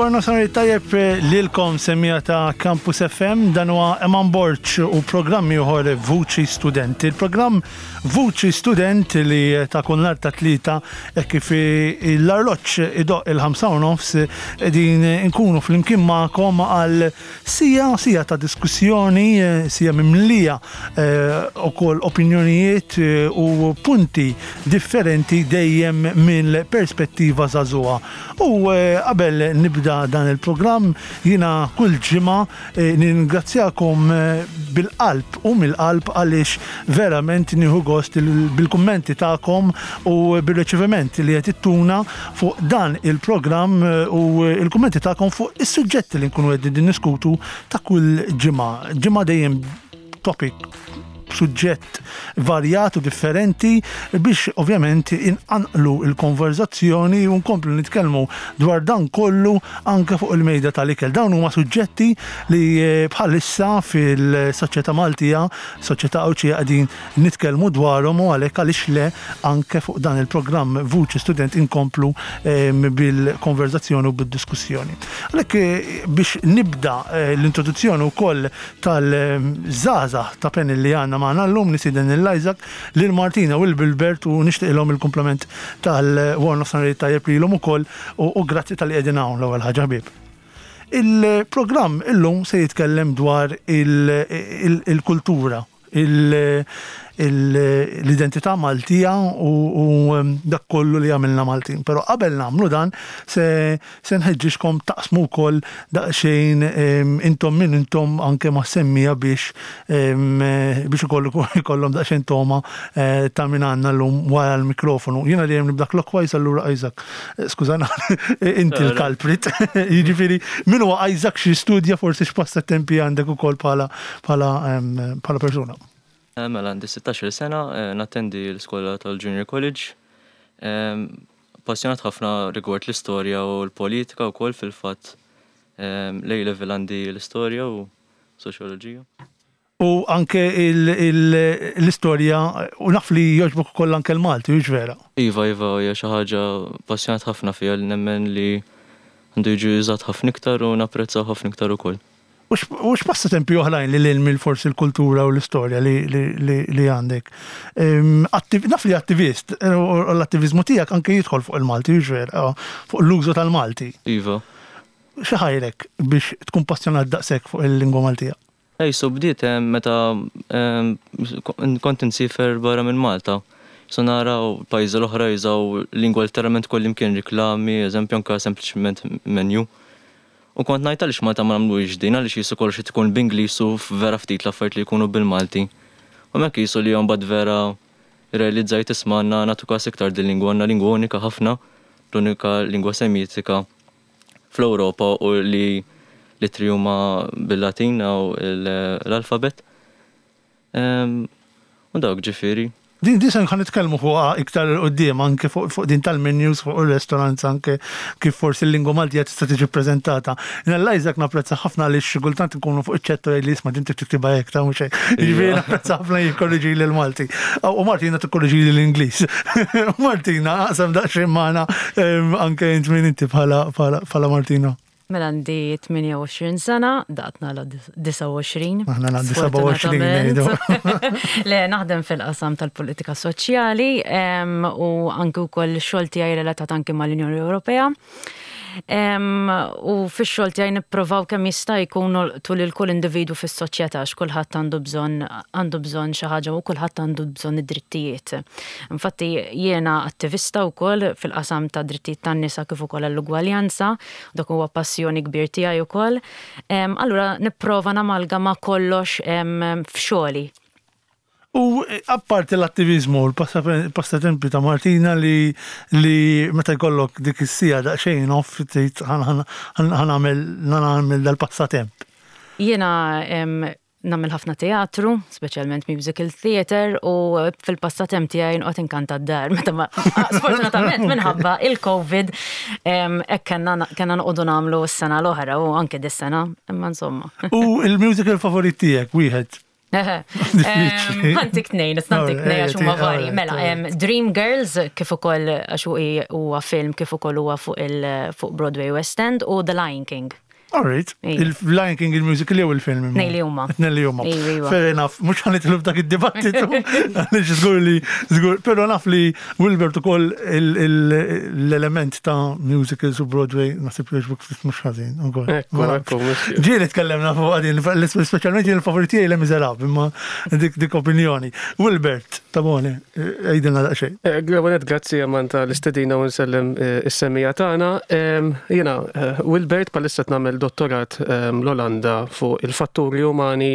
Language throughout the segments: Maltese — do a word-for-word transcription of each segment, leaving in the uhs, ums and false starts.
Il-War Nofsinhar tajjeb lilkom, semmiegħa ta' Campus F M, dan huwa Eman Borg u programm ieħor, Vuċi Student. Il-programm Vuċi Student li ta' kull nhar ta' Tlieta e kif l-arloġġ idoqq il-ħamsa u nofs din nkunu flimkien magħkom għal siegħa siegħa ta' diskussjoni, siegħa mimlija ukoll opinjonijiet u punti differenti, dejjem mill-perspettiva żagħżugħa. U qabel nibda dan il-programm, jiena kull ġimgħa ningrazzjakom bil-qalb u mill-qalb, għaliex verament nieħu gost bil-kummenti tagħkom u bil-riċeviment li qed ittuna fuq dan il-programm u il-kummenti tagħkom fuq is-suġġetti li nkunu qegħdin niskutu ta' kull ġimgħa. Ġimgħa dejjem topic, suġġett varjat u differenti biex ovvjament inqanqlu il-konverzazzjoni u nkomplu nitkellmu dwar dan kollu anke fuq il-mejda tal-ikel. Dawn huma suġġetti li bħalissa fil-soċjetà Maltija, soċjetà Għawdxija, qegħdin nitkellmu dwarhom u għalhekk għaliex le anke fuq dan il-programm Vuċi Student inkomplu bil-konverzazzjoni u bil-diskussjoni. Għalhekk, biex nibda l-introduzzjoni wkoll tal-żgħażagħ ta' panel li għandna magħna llum, nistieden lil Isaac, lil Martina u l-Bilbert u nixtieqilhom il-kumplament tal-War Nofsinhar tajjeb lilhom ukoll u grazzi talli qegħdin hawn l-ewwel ħaġa, ħbieb. Il-programm illum se jitkellem dwar il-kultura, l-identità Maltija u dak kollu li għamilna Maltin. Pero qabel nagħmlu dan se se nħeġġixkom taqsmu wkoll daqsxejn intom min intom anke ma' semmiegħa biex biex ukoll ikollhom daqsxejn toma ta' min għandna llum wara l-mikrofonu. Jiena dejjem nibda clockwise, allura Isaac, skużana, inti l-culprit. Jiġifieri, min huwa Isaac, xi studja, forsi x'passatempi għandek ukoll bħala bħala persuna? Mela, għandi sittax-il sena, nattendi l-iskola tal-Junior College. Passjonat ħafna rigward l-istorja u l-politika u koll. Fil-fatt, l-A level għandi l-istorja u soċjoloġija. U anke l-istorja, u naf li jogħġbok ukoll anke l-Malti, hux vera? Iva, iva, hija xi ħaġa passjonat ħafna fiha li nemmen li għandu jiġi użat ħafna iktar u napprezzaw ħafna iktar ukoll. U x'passatempi oħrajn li lil mill forsi l-kultura u l-istorja li għandek? Naf li attivist, u l-attivizmu tiegħek anke jidħol fuq il-Malti, hux vera, fuq l-użu tal-Malti. Iva. Xi ħajrek biex tkun passjonat daqshekk fuq il-lingwa Maltija? Ej, so bdiet meta kont insiefer barra minn Malta. So nara pajjiżi l-oħra jużaw lingwa literalment kullimkien, riklami, eżempju, anke sempliċement menu. U kont ngħid, għaliex Malta ma nagħmluhiex din, għaliex qisu kollox tkun b'Ingliż u vera ftit l-affarijiet li jkunu bil-Malti? U hemmhekk qisu li mbagħad vera realizzajt, isma', għandna nagħtu każ iktar din lingwa, għandna lingwa unika ħafna, l-unika lingwa Semitika fl-Ewropa u li l-ittri huma bil-Latin u l-alfabet. U dawk ġifieri. Din din se ħa nitkellmu fuqha iktar quddiem, anke fuq din tal-menus, fuq il-restaurants, anke kif forsi l-lingwa Maltija tista' tiġi ppreżentata. Jien Isaac napprezza ħafna li xi kultant nkunu fuq iċ-chat li isma', din tiktibha hekk, ta' mhux hekk. Jiġifieri napprezza ħafna jikkorriġi lil Malti. U Martina tikkorriġi l-Ingliż. Martina, aqsam daqsxejn magħna anke int min inti bħala Martina. Mela, għandi tmienja u għoxrin sena, daqt nagħlaq disgħa u għoxrin. Aħna għandi sebgħa u għoxrin ngħidu. Le, naħdem fil-qasam tal-politika soċjali u anke wkoll xogħol tiegħi relatat anke mal-Unjoni Ewropea. U fix-xogħol tiegħi nipprovaw kemm jista' jkun tul il kull individu fis-soċjetà, għax kulħadd għandu bżonn għandu bżonn xi ħaġa u kulħadd għandu bżonn id-drittijiet. Infatti jiena attivista wkoll fil-qasam ta' drittijiet tan-nisa kif ukoll l-ugwaljanza, dak huwa passjoni kbir tiegħi wkoll. Allura nipprova namalgama kollox f'xogħli. U apparti l-attivizmu, l-passatempi ta' Martina li li meta jkollok dik is-siegħa daqsxejn off tgħid ħa nagħmel dal-passatemp. Jiena nagħmel ħafna teatru, speċjalment musical theater, u fil-passatemp tiegħi nqgħod inkanta d-dar. Meta ma sfortunatament minħabba il-Covid hekk kellna kellna noqogħdu nagħmlu s-sena l-oħra u anke dis-sena, imma insomma. U il-musical favorit tiegħek wieħed? Ħa ntik tnejn, ħa ntik tnejn għax huma vari. Mela, Dream Girls kif ukoll għax huwa film kif ukoll huwa fuq il fuq Broadway West End u The Lion King. Alright. Il-Lion King il-musical jew il-film? Tnejn li huma. Tnejn li huma. Fair enough, mhux ħa nidħlu f'dak id-dibattitu, għaliex żgur li żgur, però naf li Wilbert ukoll l-element ta' musicals u Broadway naħseb li jogħġbok ftit mhux ħażin ukoll. Ġieli tkellemna fuq għadin, speċjalment jien il-favoriti tiegħi Les Misérables, imma dik dik opinjoni. Wilbert, Tabone, għidilna daqsxejn. Għawanet, grazzi għaman tal-istedina u nsellem is-semmiegħa tagħna. Jiena, Wilbert bħalissa nagħmel dottorat l-Olanda fuq il-fatturi umani,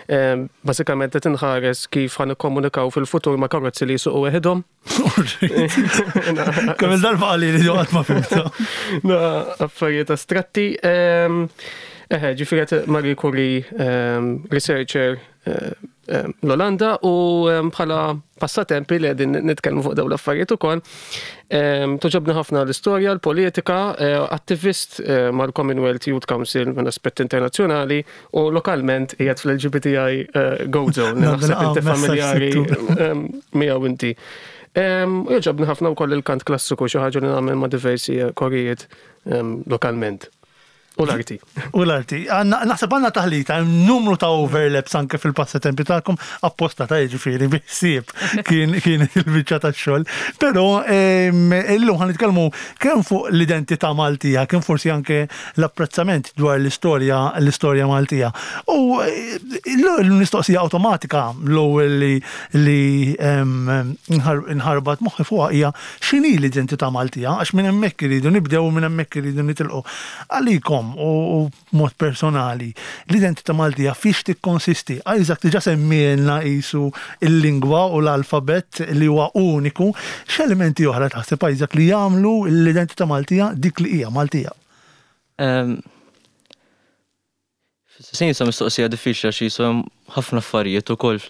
bażikament qed inħares kif ħa nikkomunikaw fil-futur ma' karozzi li jsuqu weħidhom. Kemm il-darba qalli li qatt ma fhimta. Na, affarijiet astratti. Eħe, ġifieri Marie Curie researcher l-Olanda u bħala passatempi li qegħdin nitkellmu fuq dawn l-affarijiet ukoll. Togħġobni ħafna l-istorja, l-politika, attivist mal-Commonwealth Youth Council minn aspett internazzjonali u lokalment qiegħed fl-L G B T I Gozo, naħseb inti familjari miegħu inti. U jogħġobni ħafna wkoll il-kant klassiku, xi ħaġa li nagħmel ma' diversi korijiet lokalment. U l-arti. U l-arti. Naħseb għandna taħlita, numru ta' overlaps anke fil-passatempi tagħkom apposta ta' ġifieri biħsieb kien kien il-biċċa tax-xogħol. Però illum ħa nitkellmu kemm fuq l-identità Maltija, kemm forsi anke l-apprezzament dwar l-istorja l-istorja Maltija. U l-mistoqsija awtomatika l-ewwel li li nħarbat moħħi fuqha hija x'inhi l-identità Maltija, għax minn hemmhekk iridu nibdew u minn hemmhekk iridu nitilqu. Għalikom u mod personali, l-identità Maltija fiex tikkonsisti? Isaac diġà semmielna qisu il-lingwa u l-alfabet li huwa uniku, x'elementi oħra taħseb, Isaac, li jagħmlu l-identità Maltija dik li hija Maltija? Sin jisa mistoqsija diffiċli għax jisu hemm ħafna affarijiet ukoll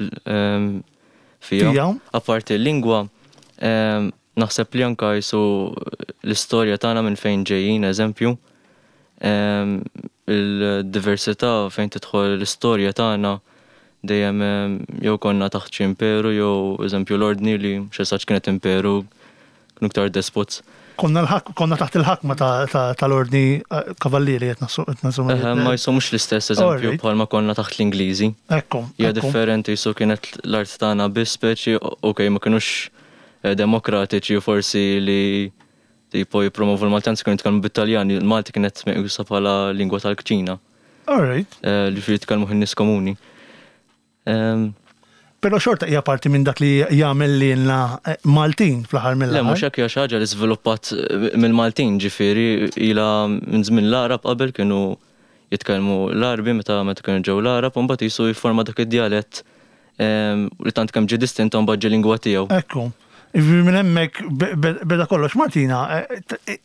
fija. Apparti l-lingwa, naħseb li anka jisu l-istorja tagħna minn fejn ġejjin, eżempju, il-diversità fejn tidħol l-istorja tagħna dejjem jew konna taħt xi imperu jew eżempju l-ordni li xi kienet imperu, kienu iktar despots. Konna konna taħt il-ħakma tal-ordni kavallieri qed nassu. Ma jisu mhux l-istess eżempju bħalma konna taħt l-Ingliżi. Ekku. Hija differenti, jisu kienet l-art tagħna biss speċi, okej, ma kinux demokratiċi u forsi li tipo jipromovu l-Malti, anzi kienu jitkellmu bit-Taljan, il-Malti kienet meqjusa bħala lingwa tal-kċina. All right. Li fi jitkellmu n-nies komuni. Però xorta hija parti minn dak li jagħmel lilna Maltin fl-aħħar mill Le, mhux hekk, hija xi ħaġa li żviluppat mill-Maltin, ġifieri ilha minn żmien l-Arab, qabel kienu jitkellmu l-Arbi meta meta kienu ġew l-Arab u mbagħad jisu jifforma dak id-djalett li tant kemm ġie distint mbagħad ġie lingwa tiegħu. Ekku. Minn hemmhekk beda kollox. Martina,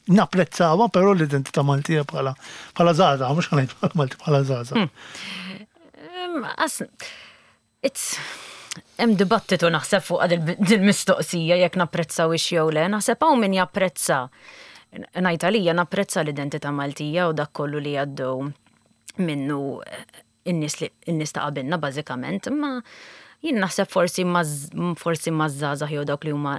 napprezzawha però l-identità Maltija bħala bħala żgħażagħ, mhux ħa ngħid bħala Malti, bħala żgħażagħ? It's hemm dibattitu naħseb fuq dil-mistoqsija jekk napprezzaw ix jew le, naħseb hawn min japprezza. Ngħid għalija napprezza l-identità Maltija u dak kollu li għaddew minnu in-nies li in-nies ta' qabilna bażikament, imma jien naħseb forsi forsi maż-żgħażagħ jew dawk li huma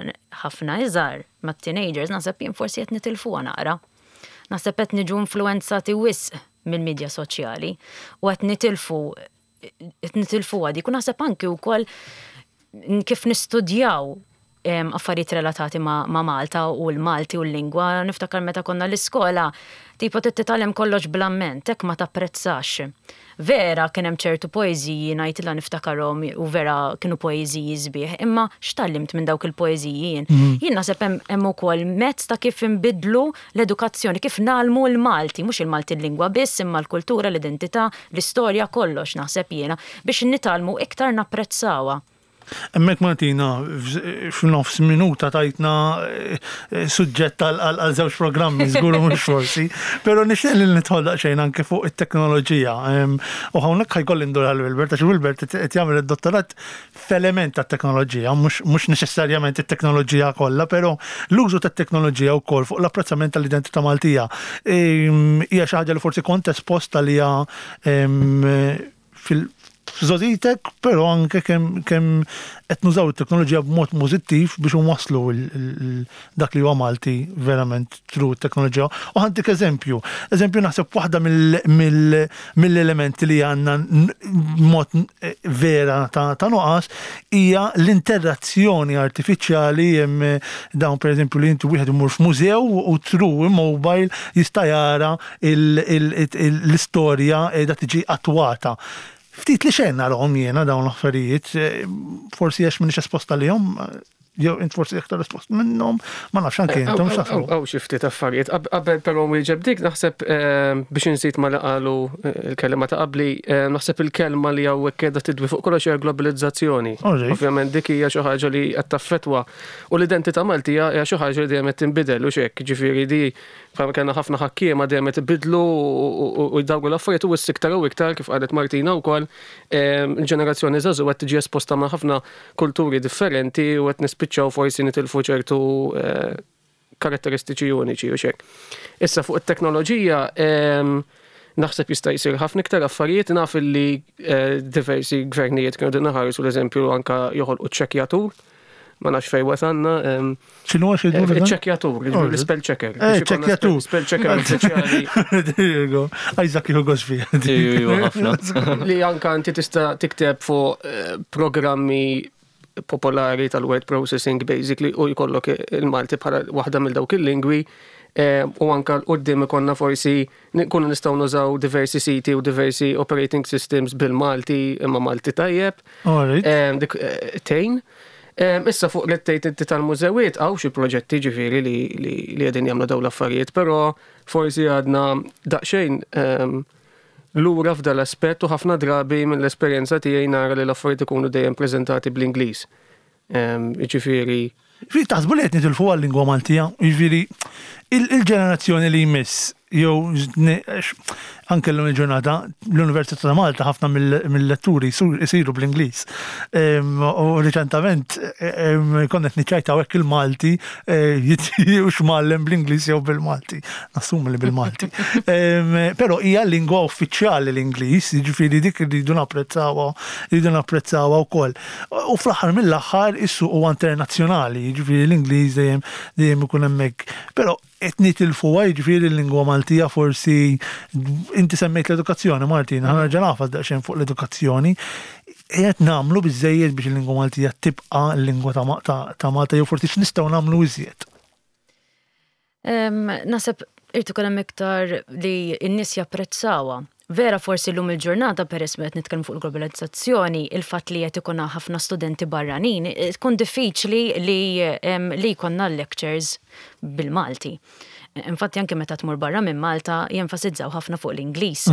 ħafna iżgħar, mat-teenagers, naħseb jien forsi qed nitilfuha naqra. Naħseb qed niġu influenzati wisq mill-medja soċjali u qed nitilfu qed nitilfuha dik u naħseb anki wkoll kif nistudjaw affarijiet relatati ma', ma Malta u l-Malti u l-lingwa. Niftakar meta konna l-iskola, tipo titgħallem kollox bl-amment, hekk ma tapprezzax. Vera kien hemm ċertu poeżiji ngħidilha niftakarhom u vera kienu poeżiji sbieħ, imma x'tgħallimt minn dawk il-poeżiji jien? Mhm. Jien naħseb hemm ukoll mezz ta' kif inbidlu l-edukazzjoni, kif ngħallmu l-Malti, mhux il-Malti l-lingwa biss, imma l-kultura, l-identità, l-istorja, kollox naħseb jiena biex nitgħallmu iktar napprezzawha. Hemmhekk, Martina, f'nofs minuta tajtna eh, suġġett għal żewġ programmi, żgur mhux forsi, però nixtieq li nidħol daqsxejn anke fuq it-teknoloġija. U hawnhekk ħa jkolli ndur għal Wilbert, għax Wilbert qed jagħmel id-dottorat f'element tat-teknoloġija, mhux neċessarjament it-teknoloġija kollha, però l-użu tat-teknoloġija wkoll fuq l-apprezzament tal-identità Maltija hija xi ħaġa li forsi kont esposta li hija fil f'żgħożitek, però anke kemm kemm qed nużaw it-teknoloġija b'mod pożittiv biex nwasslu dak li huwa Malti verament through teknoloġija. U ħa ntik eżempju. Eżempju, naħseb waħda mill-elementi li għandna mod vera ta' nuqqas hija l-interazzjoni artifiċjali. Hemm dawn, pereżempju, li inti wieħed imur f'mużew u through mobile jista' jara l-istorja da tiġi attwata. Ftit li xejn narahom jiena dawn l-affarijiet, forsi għax m'iniex esposta lihom, jew int forsi aktar espost minnhom, ma nafx anke intom x'taħsbu. Hawn xi ftit affarijiet. Qabel però wieġeb dik, naħseb biex inżid ma li qalu il-kelma ta' qabli, naħseb il-kelma li hawnhekk qiegħda tidwi fuq kollox hija globalizzazzjoni. Ovvjament dik hija xi ħaġa li qed taffettwa u l-identità Maltija hija xi ħaġa li dejjem qed tinbidel u x'hekk, ġifieri di bħalma kellna ħafna ħakkiema dejjem qed ibidlu u jdawru l-affarijiet, u issa iktar u iktar, kif qalet Martina wkoll, il-ġenerazzjoni żagħżugħa qed tiġi esposta ma' ħafna kulturi differenti u qed nispiċċaw forsi nitilfu ċertu karatteristiċi uniċi u xek. Issa fuq it-teknoloġija naħseb jista' jsir ħafna iktar affarijiet. Naf li diversi gvernijiet kienu din ħarsu l-eżempju anka joħolqu ċekjatur. Ma nafx fejn wasalna. X'inhu għax jgħidu dan? Ċekjatur, l-spell checker. Eh, ċekjatur. Spell checker uffiċjali. There you go. Isaac jieħu gost fiha. Iva, ħafna. Li anka inti tista' tikteb fuq programmi popolari tal-word processing basically u jkollok il-Malti bħala waħda mill dawk il-lingwi, u anka l-qoddim ikonna forsi nkunu nistgħu nużaw diversi siti u diversi operating systems bil-Malti, imma Malti tajjeb. Dik tejn. Issa fuq li tgħid inti tal-mużewiet, hawn xi proġetti ġifieri li li qegħdin jagħmlu dawn l-affarijiet, però forsi għadna daqsxejn lura f'dal aspett u ħafna drabi mill-esperjenza tiegħi nara li l-affarijiet ikunu dejjem preżentati bl-Ingliż. Jiġifieri Ġifieri taħsbu li qed nitilfu għal-lingwa Maltija, jiġifieri il-ġenerazzjoni li jmiss, jew anke llum il-ġurnata l-Università ta' Malta ħafna mill-letturi jsiru bl-Ingliż. U riċentament konna qed niċċajtaw hekk il-Malti hux mgħallem bl-Ingliż jew bil-Malti. Nassumi li bil-Malti. Però hija lingwa uffiċjali l-Ingliż, jiġifieri dik irridu napprezzawha, irridu napprezzawha wkoll. U fl-aħħar mill-aħħar is-suq huwa internazzjonali, jiġifieri l-Ingliż dejjem dejjem ikun hemmhekk. Però qed nitilfuha, jiġifieri l-lingwa Maltija forsi. Inti semmejt l-edukazzjoni, Martina, ħa nerġa' nagħfas daqsxejn fuq l-edukazzjoni. Qed nagħmlu biżejjed biex il-lingwa Maltija tibqa' l-lingwa ta' Malta, jew forsi x'nistgħu nagħmlu iżjed? Naħseb irid ikun hemm iktar li n-nies japprezzawha. Vera forsi llum il-ġurnata, peress qed nitkellmu fuq il-globalizzazzjoni, il-fatt li qed ikun ħafna studenti barranin, tkun diffiċli li li jkollna lectures bil-Malti. Infatti anke meta tmur barra minn Malta jenfasizzaw ħafna fuq l-Ingliż.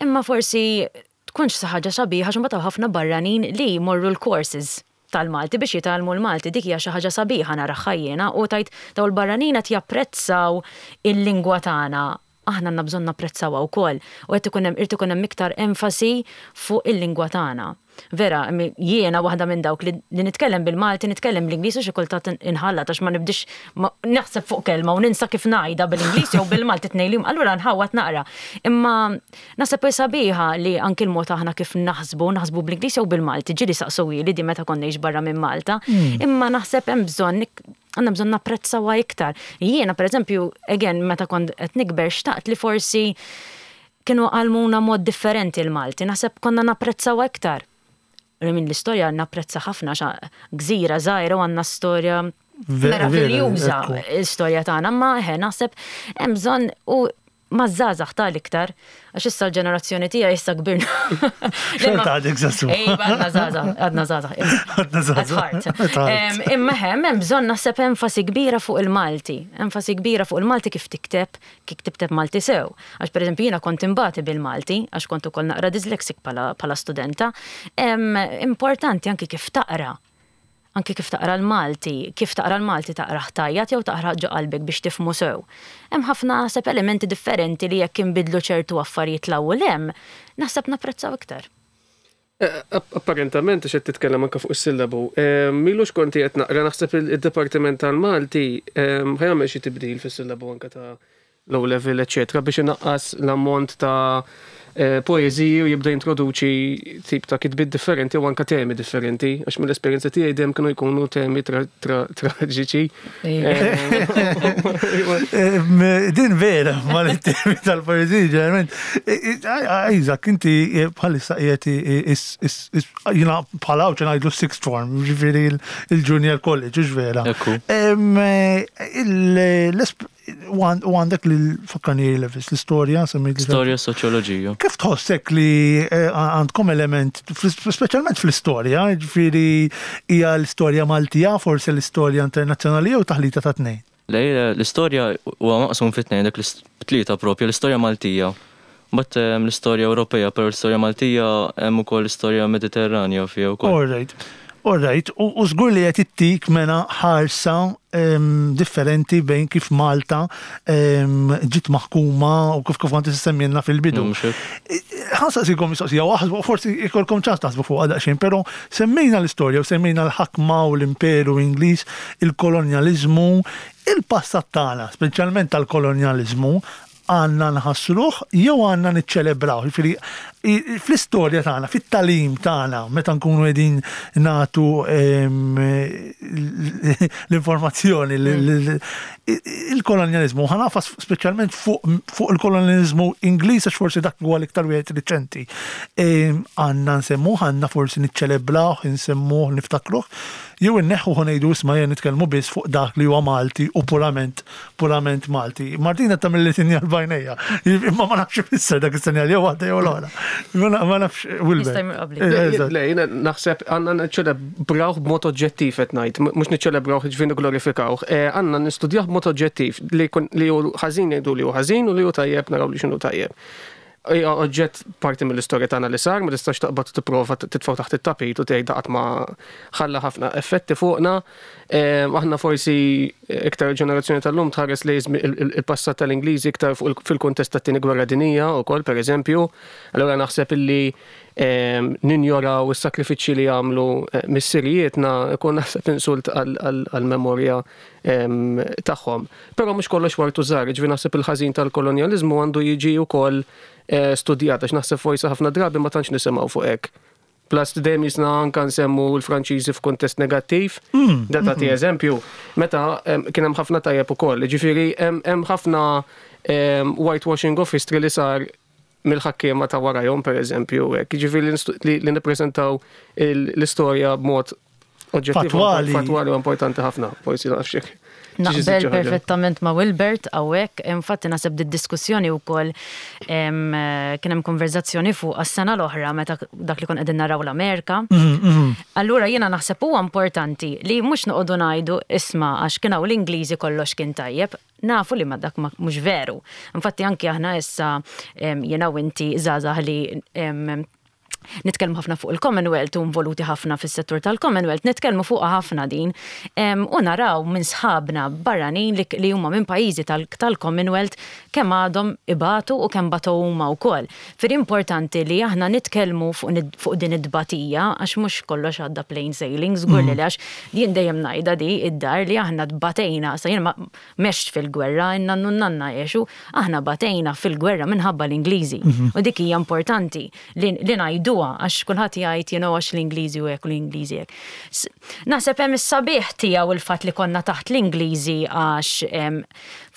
Imma forsi tkunx xi ħaġa sabiħa għax imbagħad ħafna barranin li jmorru l-courses tal-Malti biex jitgħallmu l-Malti, dik hija xi ħaġa sabiħa naraha jiena u tajt daw l-barranin qed japprezzaw il-lingwa tagħna. Aħna għandna bżonn napprezzawha wkoll u qed ikun hemm irid ikun hemm iktar enfasi fuq il-lingwa tagħna. Vera, jiena waħda minn dawk li nitkellem bil-Malti, nitkellem bl-Ingliż u xi kultant inħallat għax ma nibdix naħseb fuq kelma u ninsa kif ngħidha bil-Ingliż jew bil-Malti tnejn, allura nħawat naqra. Imma naħseb sabiħa li anki l-mod aħna kif naħsbu, naħsbu bl-Ingliż jew bil-Malti, ġieli saqsuhieli di meta konna barra minn Malta, imma naħseb hemm bżonn għandna bżonn napprezzawha iktar. Jiena pereżempju, again, meta kont qed nikber xtaqt li forsi kienu għallmuna mod differenti l-Malti, naħseb konna napprezzawha iktar. Minn l-istorja napprezza ħafna, xa gżira żgħira u għandna storja meraviljuża l-istorja tagħna, ma eħe naħseb hemm bżonn u maż-żgħażagħ tal-iktar, għax issa l-ġenerazzjoni tiegħi issa kbirna. Xorta għadek żagħżugħ. Ejba, għadna żgħażagħ, għadna żgħażagħ. Għadna żgħażagħ. Imma hemm hemm bżonn naħseb enfasi kbira fuq il-Malti, enfasi kbira fuq il-Malti kif tikteb, kif tikteb Malti sew. Għax pereżempju jiena kont imbati bil-Malti, għax kont ukoll naqra dyslexic bħala studenta. Importanti anki kif taqra. Anki kif taqra l-Malti, kif taqra l-Malti taqra ħtajjat jew taqra ġo qalbek biex tifhmu sew. Hemm ħafna naħseb elementi differenti li jekk inbidlu ċertu affarijiet l-ewwel hemm, naħseb napprezzaw iktar. Apparentament għax qed titkellem anke fuq is-sillabu. Milux konti qed naqra, naħseb id-Dipartiment tal-Malti ħa jagħmel xi tibdil fis-sillabu anke ta' low level, eċetera, biex inaqqas l-ammont ta' eh, poeżiji u jibda jintroduċi tip ta' kitbiet differenti u anka temi differenti, għax mill-esperjenza tiegħi dejjem kienu jkunu temi traġiċi. Eh, din vera, ma l-temi tal-poeżiji ġeneralment. Isaac, inti bħalissa qiegħed jiena bħala hawn ngħidlu sixth form, ġifieri il-junior college, vera. U għandek l-fakkani levels, l-istorja, semmejt. Storja, soċjoloġija. Kif tħossek li eh, għandkom element, speċjalment fl-istorja, ġifieri hija l-istorja Maltija, forsi l-istorja internazzjonali jew taħlita ta' tnejn? Le, l-istorja huwa maqsum fit tnejn, dak tlieta propja, l-istorja Maltija. But l-istorja Ewropea, però l-istorja Maltija hemm ukoll l-istorja Mediterranja fiha wkoll. All right. All right, u żgur li qed ittik mena ħarsa differenti bejn kif Malta ġiet maħkuma u kif kif għanti semmejna fil-bidu. Ħa nsaqsikom mistoqsija, waħsbu forsi ikolkom ċans taħsbu fuq daqsxejn, però semmejna l-istorja u semmejna l-ħakma u l-imperu Ingliż, il-kolonjaliżmu, il-passat tagħna, speċjalment tal-kolonjaliżmu, għandna nħassruh jew għandna niċċelebraw. Ġifieri fl-istorja tagħna, fit-tagħlim tagħna, meta nkunu qegħdin nagħtu l-informazzjoni, il-kolonjaliżmu, ħa nagħfas speċjalment fuq il-kolonjaliżmu Ingliż għax forsi dak huwa l-iktar wieħed riċenti. Għandna nsemmuh, għandna forsi niċċelebrawh, nsemmuh, niftakruh, jew inneħħu ngħidu isma' jien nitkellmu biss fuq dak li huwa Malti u purament purament Malti. Martina tagħmel li sinjal b'għajnejha. Imma ma nafx ifisser dak is-sinjal jew waħda jew l-oħra. Ma nafx Wilber. Le, jiena naħseb għandna niċċelebrawh b'mod oġġettiv qed ngħid, mhux niċċelebrawh ġifieri nigglorifikawh. Għandna nistudjah b'mod oġġettiv li li hu ħażin ngħidu li hu ħażin u li hu tajjeb naraw li x'inhu tajjeb. Hija oġġett parti mill-istorja tagħna li sar, ma tistax taqbad tipprova titfgħu taħt it-tapit u tgħid daqat ma ħalla ħafna effetti fuqna. Aħna forsi iktar ġenerazzjoni tal-lum tħares li il-passat tal-Ingliżi iktar fil-kuntest tat-tieni gwerra dinija wkoll pereżempju. Allura naħseb illi ninjoraw is-sakrifiċċji li għamlu missirijietna ikun naħseb insult għall-memorja tagħhom. Però mhux kollox wartu żgħar, ġifieri naħseb il-ħażin tal-kolonjaliżmu għandu jiġi wkoll studjat għax naħseb forsi ħafna drabi ma tantx nisimgħu fuq hekk. Plus dejjem jisna anka nsemmu l-Franċiżi f'kuntest negattiv, da tagħti eżempju, meta kien hemm ħafna tajjeb ukoll, ġifieri hemm ħafna whitewashing of history li sar mill-ħakkiema ta' warajhom pereżempju, hekk. Ġifieri li nippreżentaw l-istorja b'mod oġġettiv Fatwali. Fatwali u importanti ħafna, forsi nafx hekk. Naqbel perfettament ma' Wilbert hawnhekk, infatti naħseb di diskussjoni wkoll kien hemm konverzazzjoni fuq għas-sena l-oħra meta dak li kon qegħdin naraw l-Amerika. Allura jiena naħseb huwa importanti li mhux noqogħdu ngħidu isma' għax kien hawn l-Ingliżi kollox kien tajjeb, nafu li ma dak mhux veru. Infatti anki aħna issa jiena u inti żgħażagħ li nitkellmu ħafna fuq il-Commonwealth u involuti ħafna fis-settur tal-Commonwealth, nitkellmu fuqha ħafna din u naraw minn sħabna barranin li huma minn pajjiżi tal-Commonwealth kemm għadhom ibatu u kemm batu huma wkoll. Fir importanti li aħna nitkellmu fuq din id-dbatija għax mhux kollox għadda plain sailing, żgur li għax jien dejjem ngħidha di id-dar li aħna tbatejna, sa jien m'għextx fil-gwerra, in-nannu nanna għexu, aħna batejna fil-gwerra minħabba l-Ingliżi. U dik hija importanti li ngħidu għax kulħadd jgħid you know għax l-Ingliżi u hekk u l-Ingliżi hekk. Naħseb hemm is-sabiħ tiegħu il-fatt li konna taħt l-Ingliżi għax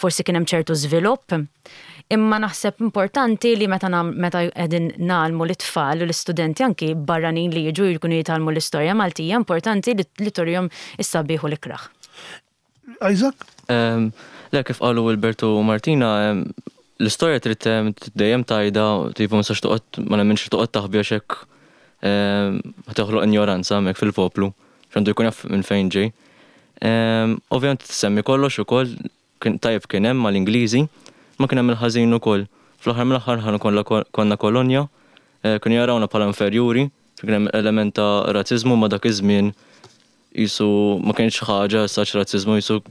forsi kien hemm ċertu żvilupp. Imma naħseb importanti li meta meta qegħdin ngħallmu l-itfal u l-istudenti anki barranin li jiġu jkunu jitgħallmu l-istorja Maltija, importanti li turihom is-sabiħ u l-ikraħ. Isaac? Le, kif qalu Wilbert u Martina, l-istorja trid dejjem tajda, tipo ma sax toqgħod, ma nemminx toqgħod taħbi għax hekk toħloq ignoranza hemmhekk fil-poplu, x'għandu jkun jaf minn fejn ġej. Ovvjament semmi kollox ukoll tajjeb kien hemm mal-Ingliżi, ma kien hemm il-ħażin ukoll. Fl-aħħar mill-aħħar ħa konna kolonja, kienu jarawna bħala inferjuri, kien hemm element ta' razziżmu ma dak iż-żmien jisu ma kienx ħaġa saċ razziżmu jisu.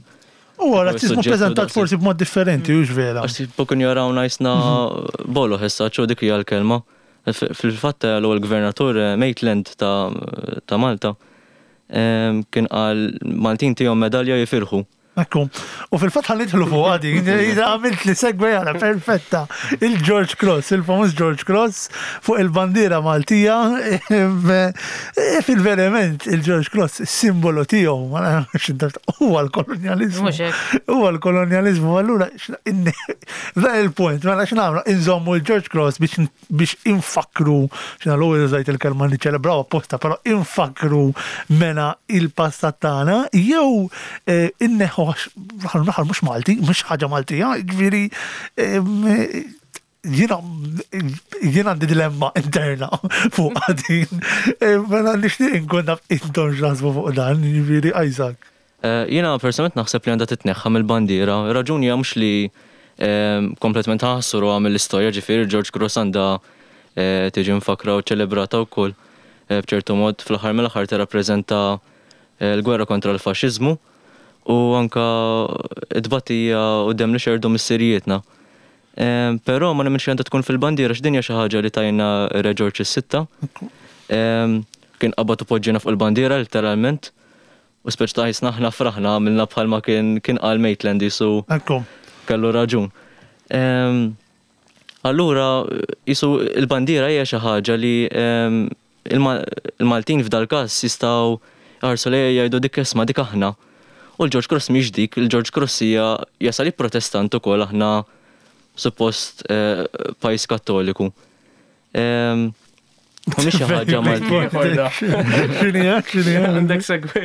U razzizmu prezentat forsi b'mod differenti, hux vera. Għax tipo kienu jarawna jisna bolo ħessa, ċo dik hija l-kelma. Fil-fatt l-ewwel gvernatur Maitland ta' Malta kien qal Maltin tihom medalja jifirħu. Ekku. U fil-fatt ħa nidħlu fuq din, għamilt li segue għala perfetta. Il-George Cross, il-famuż George Cross fuq il-bandiera Maltija, fil-verament il-George Cross, il-simbolu tiegħu, ma nafx huwa l-kolonjalizmu. Mhux hekk. Huwa l-kolonjalizmu, allura dan il-punt, mela x'nagħmlu, inżommu il-George Cross biex biex infakru, x'na l-ewwel użajt il-kelma niċċelebraw apposta, però infakru mena il-passat tagħna, jew eh, inneħħu għax l-aħħar mhux Malti, mhux ħaġa Maltija, ġifieri em, jiena jiena għandi dilemma interna fuq din. Eh, Mela nixtieq inkun naf intom x'taħsbu fuq dan, ġifieri Isaac. Eh, Jiena personalment naħseb li għandha titneħħa mill-bandiera. Raġuni hija mhux li eh, kompletament ħassruha mill-istorja, ġifieri George Cross għandha eh, tiġi mfakra u ċelebrata wkoll eh, b'ċertu mod fl-aħħar mill-aħħar tirrappreżenta eh, l-gwerra kontra l-faxxiżmu u anka t-tbatija u demm li xerdu missirijietna. Eh, Però ma nemminx li għandha tkun fil-bandiera x'dinja xi ħaġa li tajna Re George is-Sitta. Eh, Kien qabad u poġġina fuq il-bandiera literalment. U speċ ta' jisna aħna fraħna għamilna bħalma kien kien qal Maitland jisu Ekku. kellu raġun. Em, Allura, jisu il-bandiera hija xi ħaġa li em, il-Ma- il-Maltin f'dal każ jistgħu jħarsu lejha jgħidu dik isma' dik aħna. U l-George Cross mhix dik, il-George Cross hija jasal protestant ukoll aħna suppost eh, pajjiż kattoliku. Em, U mhix xi ħaġa Malti. X'inhi x'inhi Għandek segue.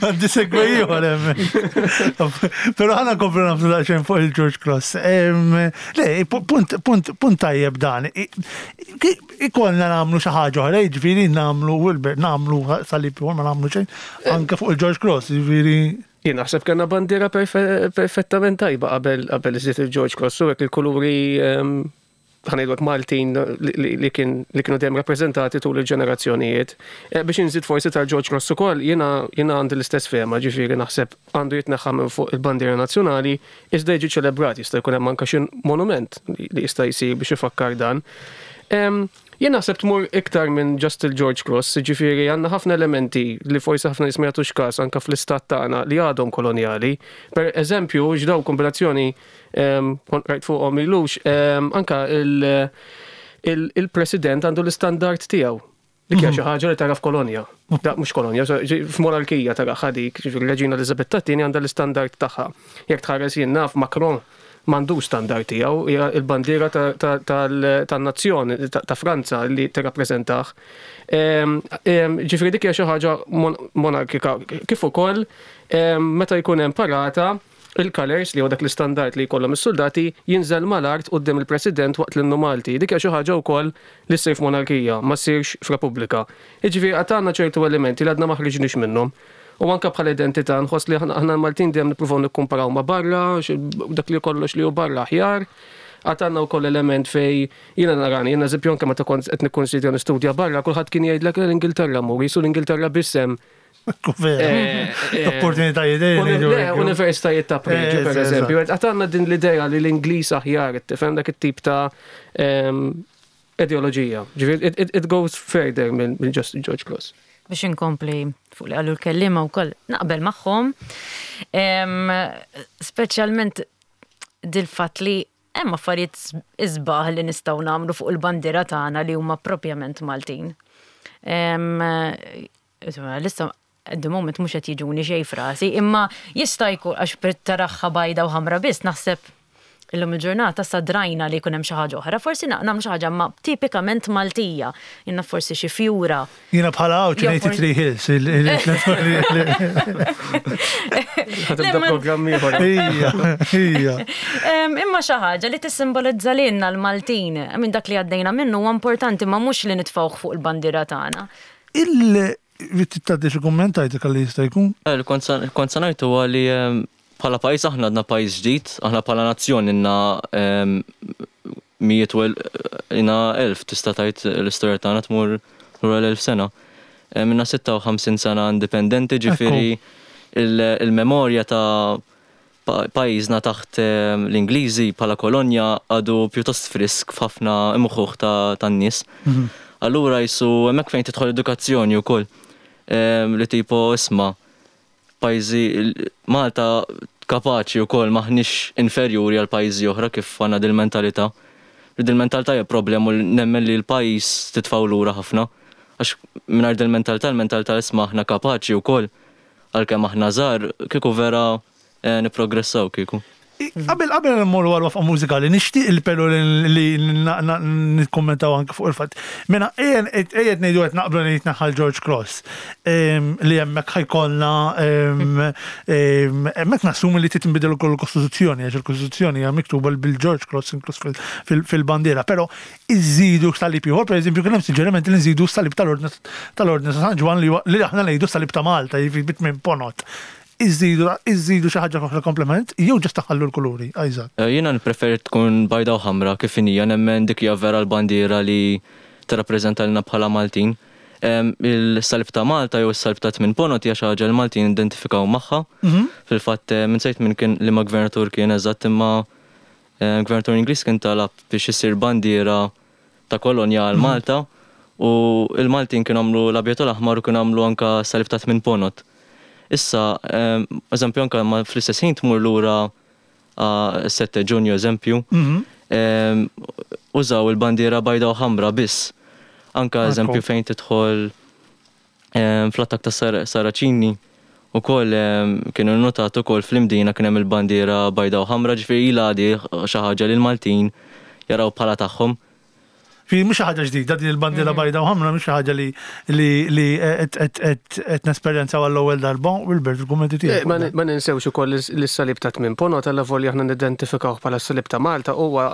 Għandi segue ieħor hemm. Però ħana komplu nagħmlu daqsxejn fuq il-George Cross. Em, Le, punt, punt, punt tajjeb dan. I- i- Ikollna nagħmlu xi ħaġa oħra, jiġifieri nagħmlu Wilbert, nagħmlu salib ieħor ma nagħmlu xejn anke fuq il-George Cross, jiġifieri Jien naħseb kellna bandiera perfe- perfettament tajba qabel qabel iżid il-George Cross u hekk il-kuluri ehm, ħa ngħidu Maltin li, li, li, kien, li kienu dejjem rappreżentati tul il-ġenerazzjonijiet. Eh, Biex inżid forsi tal-George Cross ukoll, jiena jiena għandi l-istess fehma, ġifieri naħseb għandu jitneħħa minn fuq il-bandiera nazzjonali, iżda jiġi ċelebrat, jista' jkun hemm anke xi monument li li jista' jsir biex ifakkar dan. Em, Jien naħseb tmur iktar minn just il-George Cross, ġifieri għandna ħafna elementi li forsi ħafna nies ma jagħtux każ anke fl-istat tagħna li għadhom kolonjali. Per eżempju, ġdaw kombinazzjoni em, kont rajt fuqhom milux, em, anka il- il- il-president għandu l-istandard tiegħu. Dik hija xi ħaġa li tara f'kolonja. Da mhux kolonja, so, ġi- f'monarkija tara dik, ġifieri Reġina Elizabetta t-tieni għandha l-istandard tagħha. Jekk tħares jien naf Macron m'għandux standard tiegħu, hija l-bandiera ta- ta- tal- tan-nazzjon ta' ta' Franza li tirrappreżentah. Em, em, Ġifieri dik hija xi ħaġa mon- monarkika. Kif ukoll em, meta jkun hemm parata, il-colors li huwa dak l-istandard li jkollhom is-soldati jinżel mal-art quddiem il-President waqt l-innu Malti. Dik hija xi ħaġa wkoll li ssir f'monarkija, ma ssirx f'Repubblika. Jiġifieri għad għandna ċertu elementi li għadna ma ħriġniex minnhom. U anka bħala identità nħoss li aħna aħna l-Maltin dejjem nippruvaw nikkumparaw ma' barra, x- dak li kollox li hu barra aħjar. Għad għandna wkoll element fej jiena narani, jiena eżempju anke meta kont qed nikkonsidra nistudja barra, kulħadd kien jgħidlek l-Ingilterra mur, jisu l-Ingilterra biss hemm ekku vera. Eh, eh, Opportunitajiet Uni- Le, universitajiet ta' preġu, Eh, per eżatt. eżempju. Għad għandna din l-idea li l-Ingliż aħjar, tifhem dak it-tip ta' em, ideoloġija. Ġifieri, it, it, it goes further minn minn just George Cross. Biex inkompli fuq li qalu l-kellima u koll naqbel magħhom. Em, Speċjalment dil-fatt li hemm affarijiet isbaħ li nistgħu nagħmlu fuq il-bandiera tagħna li huma propjament Maltin. Em, Insomma, Lissa at the moment mhux qed jiġuni xejn frasi, imma jista' jkun għax per taraha bajda u ħamra biss naħseb illum il-ġurnata sa drajna li jkun hemm xi ħaġa oħra, forsi nagħmlu xi ħaġa ma tipikament Maltija, jiena forsi xi fjura. Jiena bħala għawċ Jew ngħid forsi- Three Hills. il- il- Ħa tibda ma- programm ieħor. Ija, ija. Em, Imma xi ħaġa li tissimbolizza lilna l-Maltin, minn dak li għaddejna minnu huwa importanti ma mhux li nitfgħuh fuq il-bandiera tagħna. Il- Taddi xi kumment għajtek għalli jista' jkun? Eh, li Kont sa- kont sa ngħid huwa li em, bħala pajjiż aħna għadna pajjiż ġdid, aħna bħala nazzjon inna em, mijiet u el- inna elf tista' tgħid l-istorja tagħna tmur lura l-elf sena. Em, Inna sitta u ħamsin sena indipendenti, ġifieri il- il-memorja ta' pa- pajjiżna taħt em, l-Ingliżi bħala kolonja għadu pjuttost frisk f'ħafna imħuħ ta' tan-nies. Allura jisu hemmhekk fejn tidħol edukazzjoni wkoll. Em, Li tipo isma' pajjiżi Malta kapaċi wkoll, m'aħniex inferjuri għal pajjiżi oħra kif għandna dil-mentalità. Dil-mentalità hija problema u nemmen li l-pajjiż titfgħu lura ħafna. Għax mingħajr dil-mentalità, il-mentalità isma' aħna kapaċi wkoll, għalkemm aħna żgħar, kieku vera eh, nipprogressaw kieku. Qabel qabel nmorru għal waqfa mużikali, nixtieq il-pelu li nikkommentaw anke fuq il-fatt. Mela ejjed ngħidu qed naqblu li jitnaħħal George Cross, li hemmhekk ħa jkollna hemmhekk nassumi li titinbidel ukoll il-Kostituzzjoni, għax il-Kostituzzjoni hija miktuba bil-George Cross inkluż fil-bandiera, però iżidu salib ieħor, pereżempju kien hemm suġġeriment li nżidu salib tal-Ordni tal-Ordni ta' San Ġwann li aħna ngħidu salib ta' Malta, jiġifieri bit minn ponot. Iżidu, iżidu xi ħaġa oħra komplement, jew ġast taħallu l-kuluri, Isaac. Jiena nippreferi tkun bajda u ħamra kif inhija, nemmen dik hija vera l-bandiera li tirrappreżenta lilna bħala Maltin. Il-salib ta' Malta jew is-salib ta' tmien ponot hija xi ħaġa li Maltin identifikaw magħha. Fil-fatt minn sejt minn kien li ma gvernatur kien eżatt, imma gvernatur Ingliż kien talab biex isir bandiera ta' kolonja għal Malta u l-Maltin kienu għamlu l-abjad u l-aħmar u kienu għamlu anka salib ta' tmien ponot. Issa, eżempju, anka ma fl-istess ħin tmur lura sette Ġunju, eżempju, użaw il-bandiera bajda u ħamra biss. Anka eżempju fejn tidħol fl-attakk ta' Saraċini ukoll kienu notat ukoll fl-Imdina kien hemm il-bandiera bajda u ħamra, ġifieri ilha di xi ħaġa li l-Maltin jaraw bħala tagħhom. Fi mhux xi ħaġa ġdida din il-bandiera bajda u ħamra, mhux xi ħaġa li li qed nesperjenzaw għall-ewwel darba, Wilbert, il-kummenti tiegħek. Ma ninsewx ukoll lis-salib ta' tmien ponot allavolja aħna nidentifikaw bħala s-salib ta' Malta huwa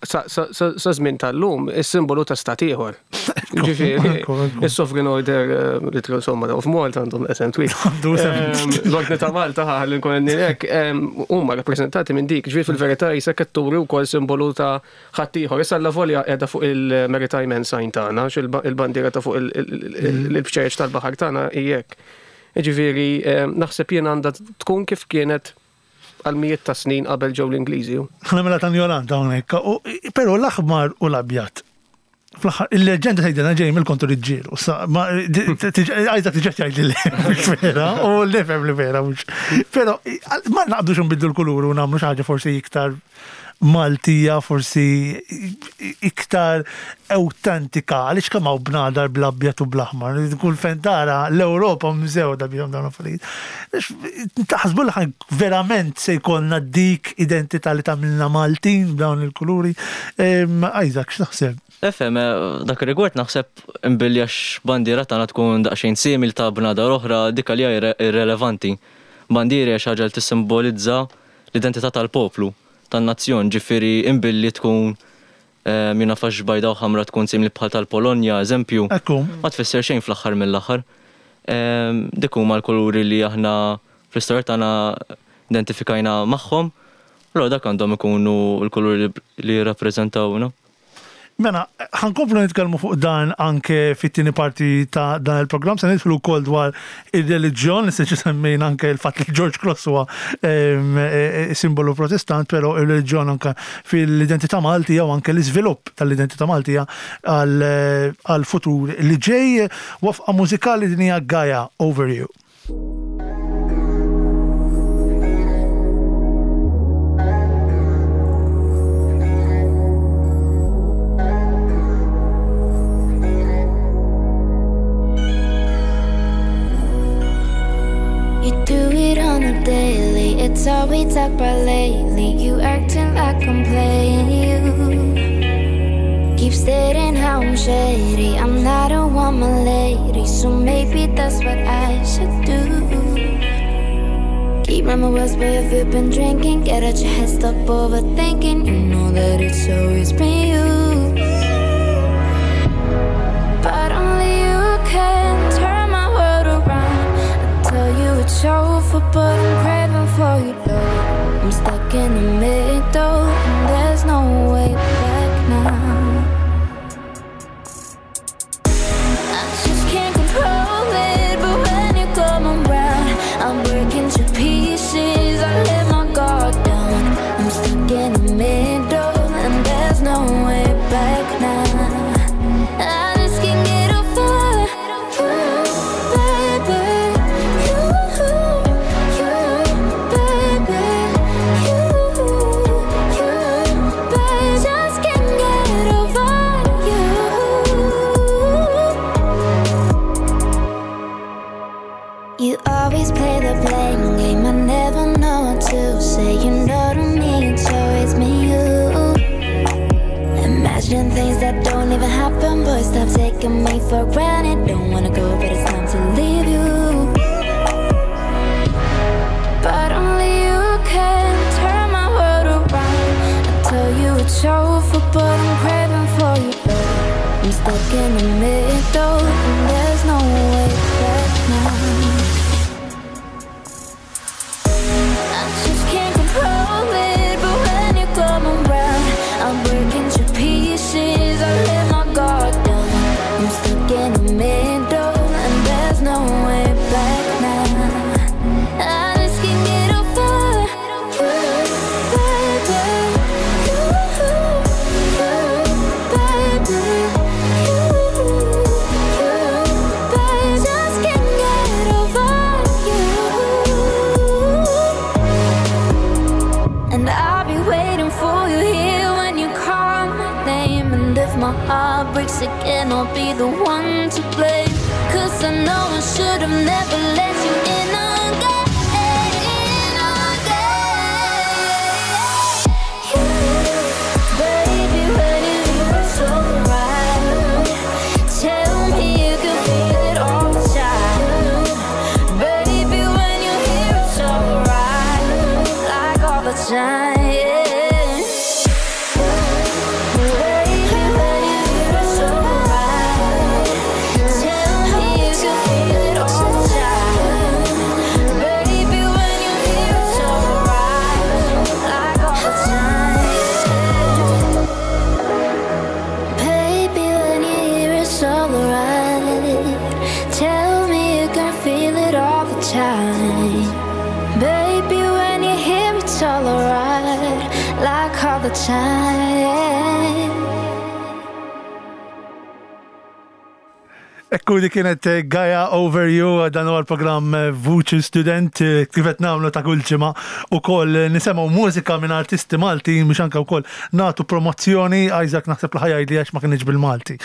sa żmien tal-lum is-simbolu ta' stat ieħor. Ġifieri, is-Sovereign Order li insomma of Malta għandhom esem twil. L-Ordni ta' Malta ħalli nkun hekk huma rappreżentati minn dik, ġifieri fil-verità jisa qed turi wkoll simbolu ta' ħadd ieħor. Issa allavolja qiegħda fuq il-Maritime Ensign tagħna, il-bandiera ta' fuq il-bċejjeċ tal-baħar tagħna hija hekk. Ġifieri naħseb jien għandha tkun kif kienet għal mijiet ta' snin qabel ġew l-Ingliżi. Ħna mela ta' ignorant hawnhekk, però l-aħmar u l-abjad. Fl-aħħar, il-leġenda tgħidilna ġej mill-kontu riġġiel. Għajda tiġi tgħid li mhux vera, u nifhem li vera mhux. Però ma naqbdux nbidlu l-kulur u nagħmlu xi ħaġa forsi iktar Maltija, forsi iktar autentika, għaliex kemm hawn bnadar bl-abjad u bl-aħmar. Kull fejn tara l-Ewropa mżewda bihom dawn l-affarijiet. Taħsbu li ħan verament se jkollna dik identità li tagħmilna Maltin b'dawn il-kuluri. Isaac, x'taħseb? Efhem, dak ir-rigward naħseb imbilli għax bandiera tagħna tkun daqsxejn simil ta' bnadar oħra, dik għalija irrelevanti. Bandiera hija xi ħaġa li tissimbolizza l-identità tal-poplu, tan-nazzjon, ġifieri imbilli tkun jiena fax bajda u ħamra tkun simili bħal tal-Polonja, eżempju, ma tfisser xejn fl-aħħar mill-aħħar. Dik huma l-kuluri li aħna fl-istorja tagħna identifikajna magħhom, allura dak għandhom ikunu l-kuluri li jirrappreżentawna. Mela, ħankomplu nitkellmu fuq dan anke fit-tieni parti ta' dan il-programm, se nidħlu wkoll dwar ir-reliġjon, li se semmejna anke l-fatt li George Cross huwa simbolu protestant, però ir-reliġjon anke fil-identità Maltija u anke l-iżvilupp tal-identità Maltija għal-futur li ġej. Waqfa mużikali din hija Gaia, Over You. Daily, it's all we talk about lately. You acting like I'm playing you. Keep stating how I'm shady. I'm not a woman lady, so maybe that's what I should do. Keep my words, but if you've been drinking, get out your head, stop overthinking. You know that it's always been you, but only you can turn my world around. I tell you it's over, but I'm craving for your love. I'm stuck in the middle, and there's no way back now. I just can't control it, but when you come around, I'm breaking to pieces. I let my guard down. I'm stuck in the middle, and there's no way back. Stop taking me for granted. Don't wanna go, but it's time to leave you. But only you can turn my world around. I tell you it's over, but I'm craving for your love. I'm stuck in the middle, and there's no way back now. I just can't control it, but when you come around, I'm breaking to pieces. I let my guard down. I'm stuck in the middle, and there's no way back now. I just can't get over you, baby. You, you, baby. You, you, baby. Just can't get over you. And I'll be waiting for you here when you call my name. And if my heart breaks again, I'll be the one to blame. 'Cause I know I should have never let you in again, in again. You, baby, when you hear it's alright, tell me you can feel it all the time. Baby, when you hear it's alright, like all the time. Yeah. Baby, when you hear it's alright, tell me you can feel it all the time. Baby, when you hear it's alright, like all the time. Baby, when you hear it's alright, tell me you can feel it all the time. Baby, when you hear it's alright, like all the time. Ekku di kienet eh, Gaia Over You, dan huwa l-programm eh, Vuċi Student, eh, kif qed nagħmlu ta' kull ġimgħa ukoll nisimgħu mużika minn artisti Malti biex anke wkoll nagħtu promozzjoni. Isaac naħseb li ħa jgħidli għax ma kienx bil-Malti.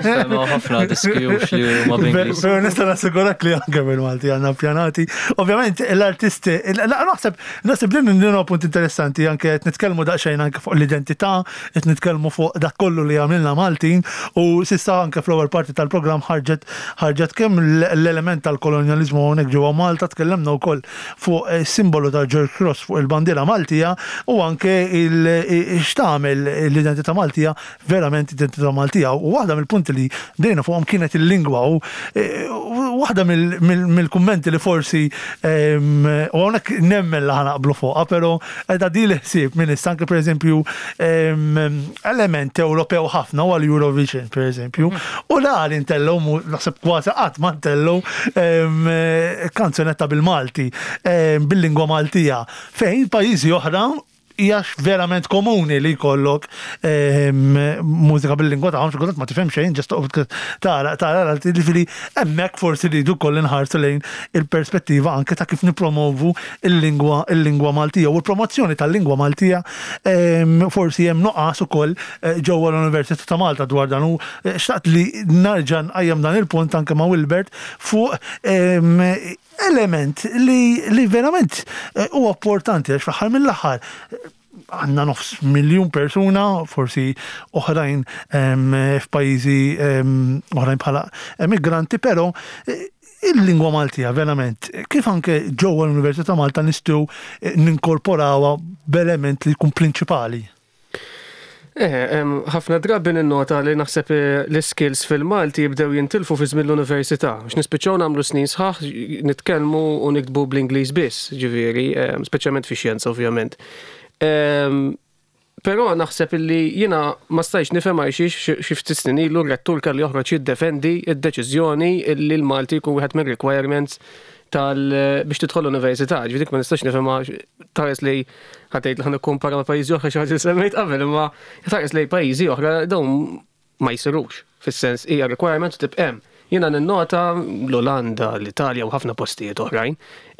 Semgħu ħafna diski u li huma bl-Ingliż. Pero nista' nassigurak li anke bil-Malti għandna pjanati. Ovvjament l-artisti, la, naħseb naħseb din din huwa punt interessanti, anke qed nitkellmu daqsxejn anke fuq l-identità, qed nitkellmu fuq dak kollu li għamilna Maltin, u s'issa anke fl-ewwel parti tal-programm ħarġet ħarġet kemm l-element tal-kolonjalizmu hawnhekk ġewwa Malta, tkellimna wkoll fuq eh, simbolu ta' George Cross fuq il-bandiera Maltija u anke x'tagħmel l-identità Maltija verament identità Maltija. U waħda mill-punti li bdejna fuqhom kienet il-lingwa, u eh, waħda mill-kummenti li forsi ehm, u hawnhekk nemmen li ħa naqblu fuqha, però qiegħda di l-ħsieb minn issa anke pereżempju ehm, element Ewropew ħafna huwa l-Eurovision pereżempju, u la li ntellgħu mu- naħseb kważi qatt ma ntellgħu ehm, kanzunetta bil-Malti, ehm, bil-lingwa Maltija, fejn pajjiżi oħra hija verament komuni li jkollok ehm, mużika bil-lingwa tagħhom, xi kultant ma tifhem xejn, just toqgħod tara tara ġifieri hemmhekk forsi li jdu koll inħarsu lejn il-perspettiva anke ta' kif nipromovu il-lingwa il-lingwa Maltija u l-promozzjoni tal-lingwa Maltija. ehm, forsi hemm nuqqas ukoll eh, ġewwa l-Università ta' Malta dwar dan, u eh, xtaqt li narġa' nqajjem dan il-punt anke ma' Wilbert fuq ehm, element li, li verament eh, huwa importanti, għax fl-aħħar mill-aħħar eh, għandna nofs miljun persuna, forsi oħrajn em, f'pajjiżi em, oħrajn bħala emigranti, però eh, il-lingwa Maltija verament, kif anke ġewwa l-Università Malta nistgħu eh, ninkorporawha b'element li jkun prinċipali? Eh, em, ħafna drabi ninnota li naħseb eh, l-skills fil-Malti jibdew jintilfu fi żmien l-università. Biex nispiċċaw nagħmlu snin sħaħ nitkellmu u niktbu bl-Ingliż biss, ġifieri, em, speċjalment fi xjenza ovvjament. Em, Però naħseb illi jiena ma stajx nifhem għalxiex xi ftit snin ilu r-rettur kellu joħroġ jiddefendi id-deċiżjoni illi l-Malti jkun wieħed mir-requirements tal biex tidħol l-università. Ġifieri ma nistax nifhemha, tħares li ħa tgħid li ħa nikkumpara ma' pajjiżi oħra, xi ħaġa li semmejt qabel, imma tħares li pajjiżi oħra dawn ma jsirux. Fis-sens hija requirement u tibqa' hemm. Jiena ninnota l-Olanda, l-Italja u ħafna postijiet oħrajn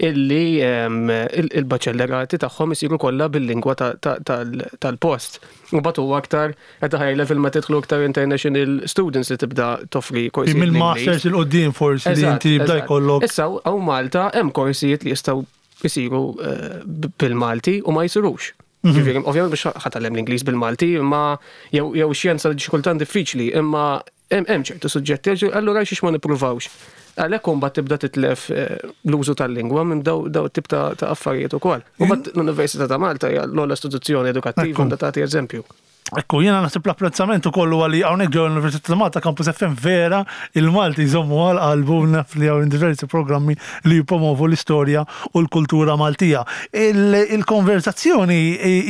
illi em, il- il-baċellerati tagħhom isiru kollha bil-lingwa ta- ta- tal- tal-post. U batu aktar at a high level ma tidħlu aktar international students li tibda toffri korsijiet Mill-masters bl-Ingliż. 'il quddiem forsi li Eżatt, inti jibda eżatt. jkollok. Issa hawn Malta hemm korsijiet li jistgħu jisiru eh, bil-Malti u ma jsirux. Mhm. Ġifieri, ovvjament biex ħa tgħallem l-Ingliż bil-Malti, imma jew jew xjenza li xi kultant diffiċli, imma Hemm ċertu suġġetti, allura xiex ma nippruvawx. Għalhekk imbagħad tibda titlef eh, l-użu tal-lingwa minn daw daw tip ta' affarijiet ukoll. U mbagħad l-Università ta' Malta hija l-ogħla istituzzjoni edukattiva, għandha tagħti eżempju. Ekku, jiena naħseb l-apprezzament ukoll huwa li hawnhekk ġew l-Università ta' Malta, Campus F M vera il-Malti jżommu għal qalbu, naf li hawn diversi programmi li jippromovu l-istorja u l-kultura Maltija. Il-konversazzjoni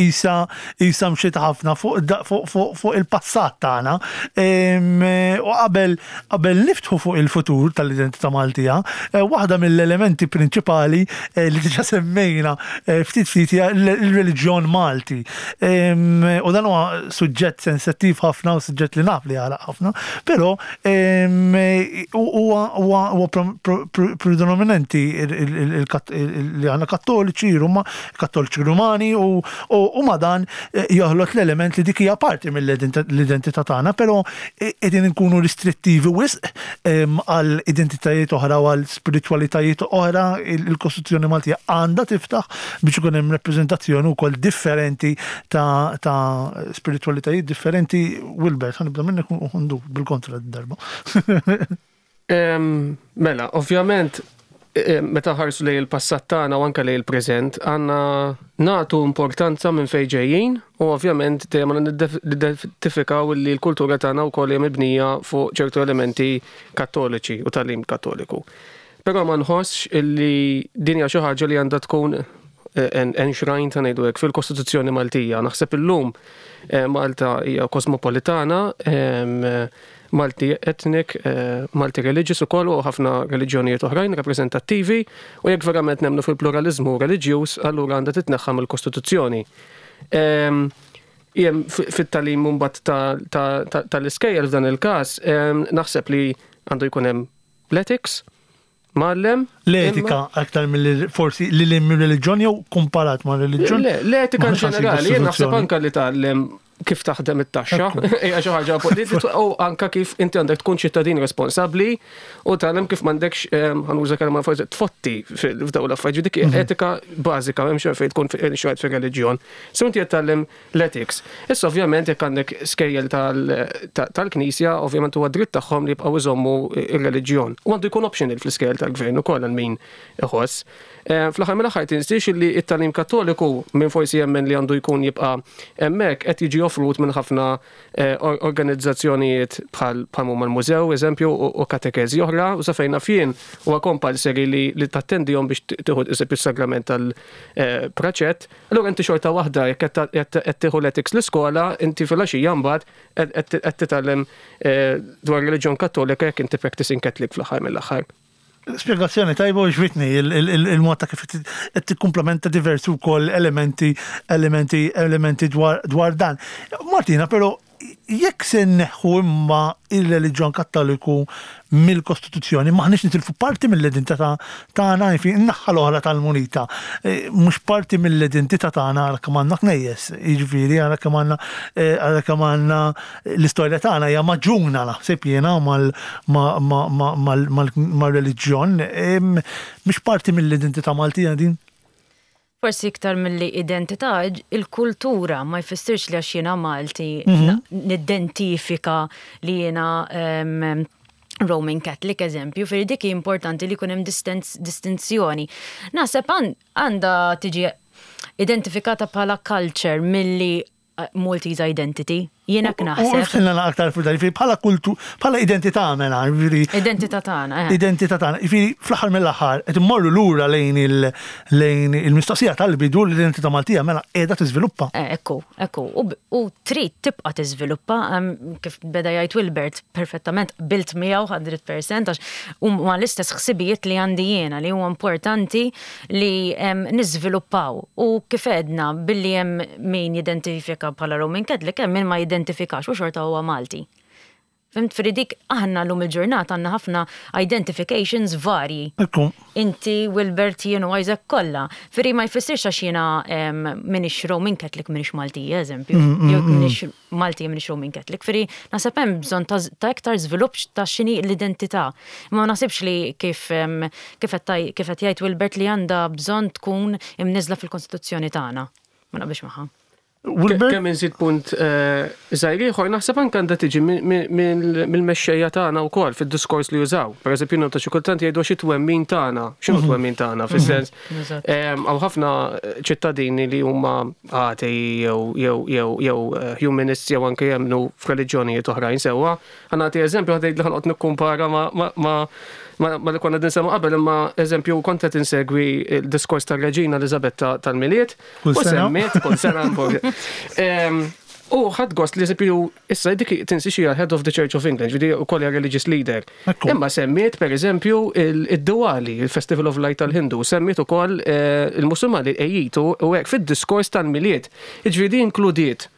isa isa mxiet ħafna fuq il-passat tagħna u qabel qabel niftħu fuq il-futur tal-identità Maltija, waħda mill-elementi prinċipali li diġà semmejna ftit ftit hija l-reliġjon Malti. U dan huwa suġġett sensittiv ħafna u suġġett li naf li għalaq ħafna, però huwa predominanti li għandna kattoliċi, kattoliċi Rumani u ma dan joħlot l-element li dik hija parti mill-identità tagħna, però qegħdin inkunu restrittivi wisq għal identitajiet oħra u għal spiritwalitajiet oħra. Il-Kostituzzjoni Maltija għandha tiftaħ biex ikun hemm rappreżentazzjoni wkoll differenti ta' spiritualitajiet differenti. Wilbert, ħa nibda minnek u ndur bil-kontra d-darba. Mela, ovvjament, meta ħarsu lejn il-passat tagħna u anke lejn il-preżent, għandna nagħtu importanza minn fejn ġejjin u ovvjament dejjem nidentifikaw li l-kultura tagħna wkoll hija mibnija fuq ċertu elementi kattoliċi u tagħlim kattoliku. Però ma nħossx illi din hija xi ħaġa li għandha tkun enshrined, ta' ngħidu hekk, fil-Kostituzzjoni Maltija. Naħseb illum Malta hija kosmopolitana, multi ethnic, multi religious ukoll u ħafna reliġjonijiet oħrajn rappreżentattivi, u jekk verament nemmnu fil-pluralizmu reliġjuż, allura għandha titneħħa mill-Kostituzzjoni. Jem fit-tagħlim mbagħad tal-iskejjel f'dan il-każ, naħseb li għandu jkun hemm l-ethics, mgħallem. L-etika aktar mill forsi li li reliġjon jew komparat ma' reliġjon? Le, l-etika ġenerali, jien naħseb anka li tgħallem kif taħdem it-taxxa, hija xi ħaġa u anka kif inti għandek tkun ċittadin responsabbli u tgħallem kif m'għandekx, ħa nuża kelma forsi, tfotti f'dawn l-affarijiet. Dik etika bażika, m'hemmx fejn tkun xi fir-reliġjon. So inti qed tgħallem l-ethics. Issa ovvjament jekk għandek skejjel tal-Knisja, ovvjament huwa dritt tagħhom li jibqgħu iżommu ir-reliġjon. U għandu jkun optional fl-iskejjel tal-gvern ukoll għal min iħoss. Fl-aħħar mill-aħħar tinsiex li t-tagħlim kattoliku minn forsi jemmen li għandu jkun jibqa' hemmhekk qed jiġi offrut minn ħafna organizzazzjonijiet bħal huma l-mużew, eżempju, u katekezi oħra, u sa fejn naf jien huwa compulsory li tattendihom biex tieħu eżempju s-sagrament tal-praċett. Allura inti xorta waħda jekk qed tieħu l-ethics l-iskola, inti filgħaxija mbagħad qed titgħallem dwar reliġjon Kattolika jekk inti practicing Catholic fl-aħħar mill-aħħar. Spiegazzjoni tajba u għoġbitni il-mod ta' kif qed tikkumplementa diversi wkoll elementi elementi elementi dwar dwar dan. Martina, però jekk se nneħħu imma il-reliġjon Kattoliku mill-Kostituzzjoni, maħniex nitilfu parti mill-identità tagħna, jiġifieri n-naħa l-oħra tal-munita. Mhux parti mill-identità tagħna għal kemm għandna knejjes, jiġifieri għal kemm għandna għal kemm għandna l-istorja tagħna hija maġuna naħseb jiena mal-reliġjon, mhux parti mill-identità Maltija din? Forsi iktar mill-li identità, il-kultura ma jfissirx li għax jiena Malti nidentifika li jiena Roman Catholic, eżempju, fir dik importanti li jkun hemm distinzjoni. Naħseb għandha tiġi identifikata bħala culture milli Maltese identity. Jiena naħseb. U ftilna aktar fuq dan, bħala kultu, bħala identità mela, jiġifieri. Identità tagħna, eh. Identità tagħna. Jiġifieri fl-aħħar mill-aħħar qed immorru lura lejn lejn il-mistoqsija tal-bidu, l-identità Maltija mela qiegħda tiżviluppa. Eh, ekku, ekku. U trid tibqa' tiżviluppa, kif beda jgħid Wilbert perfettament qbilt miegħu mija fil-mija għax huma l-istess ħsibijiet li għandi jiena li huwa importanti li niżviluppaw. U kif għedna billi hemm min jidentifika bħala Roman Catholic, hemm min ma jidentifikax u xorta huwa Malti. Fhimt, fridik aħna l-lum il-ġurnata għandna ħafna identifications varji. Ekku. Inti, Wilbert, jien u Isaac kollha. Fri ma jfissirx għax jiena minix Roman Catholic, minix Malti, eżempju. Mm, mm, Jew mm. minix Malti, minix Roman Catholic. Fri naħseb hemm bżonn ta' ta' iktar żvilupp ta' x'inhi l-identità. Ma naħsibx li kif, em, kif qed taj-, kif qed jgħid Wilbert li għandha bżonn tkun imniżla fil-Kostituzzjoni tagħna. Ma naqbilx magħha. Wilbert? Kemm inżid punt eh, żgħir ieħor, naħseb anke għandha tiġi mill-mexxejja tagħna wkoll fid-diskors li jużaw. Pereżempju, nota xi kultant jgħidu xi twemmin tagħna, x'inhu mhm. twemmin tagħna fis-sens. Eżatt. Hawn ħafna ċittadini li huma atei jew jew jew jew eh, humanists jew anke jemmnu f'reliġjonijiet oħrajn sewwa. Ħa nagħti eżempju, ħa tgħid li ħa noqgħod nikkumpara ma' ma' ma' ma ma li konna dinsemmu qabel, imma eżempju kont qed insegwi il-diskors tar-Reġina Elizabetta tal-Milied. Kull U sena. semmiet kull sena. Em, U ħadt gost li eżempju, issa dik tinsi xi head of the Church of England, ġifieri ukoll hija religious leader. Ekku. Imma semmiet per eżempju il-Diwali, il-Festival of Light tal-Hindu, semmiet ukoll eh, il-Musulmani Eid u hekk fid-diskors tal-Milied. Ġifieri inkludiet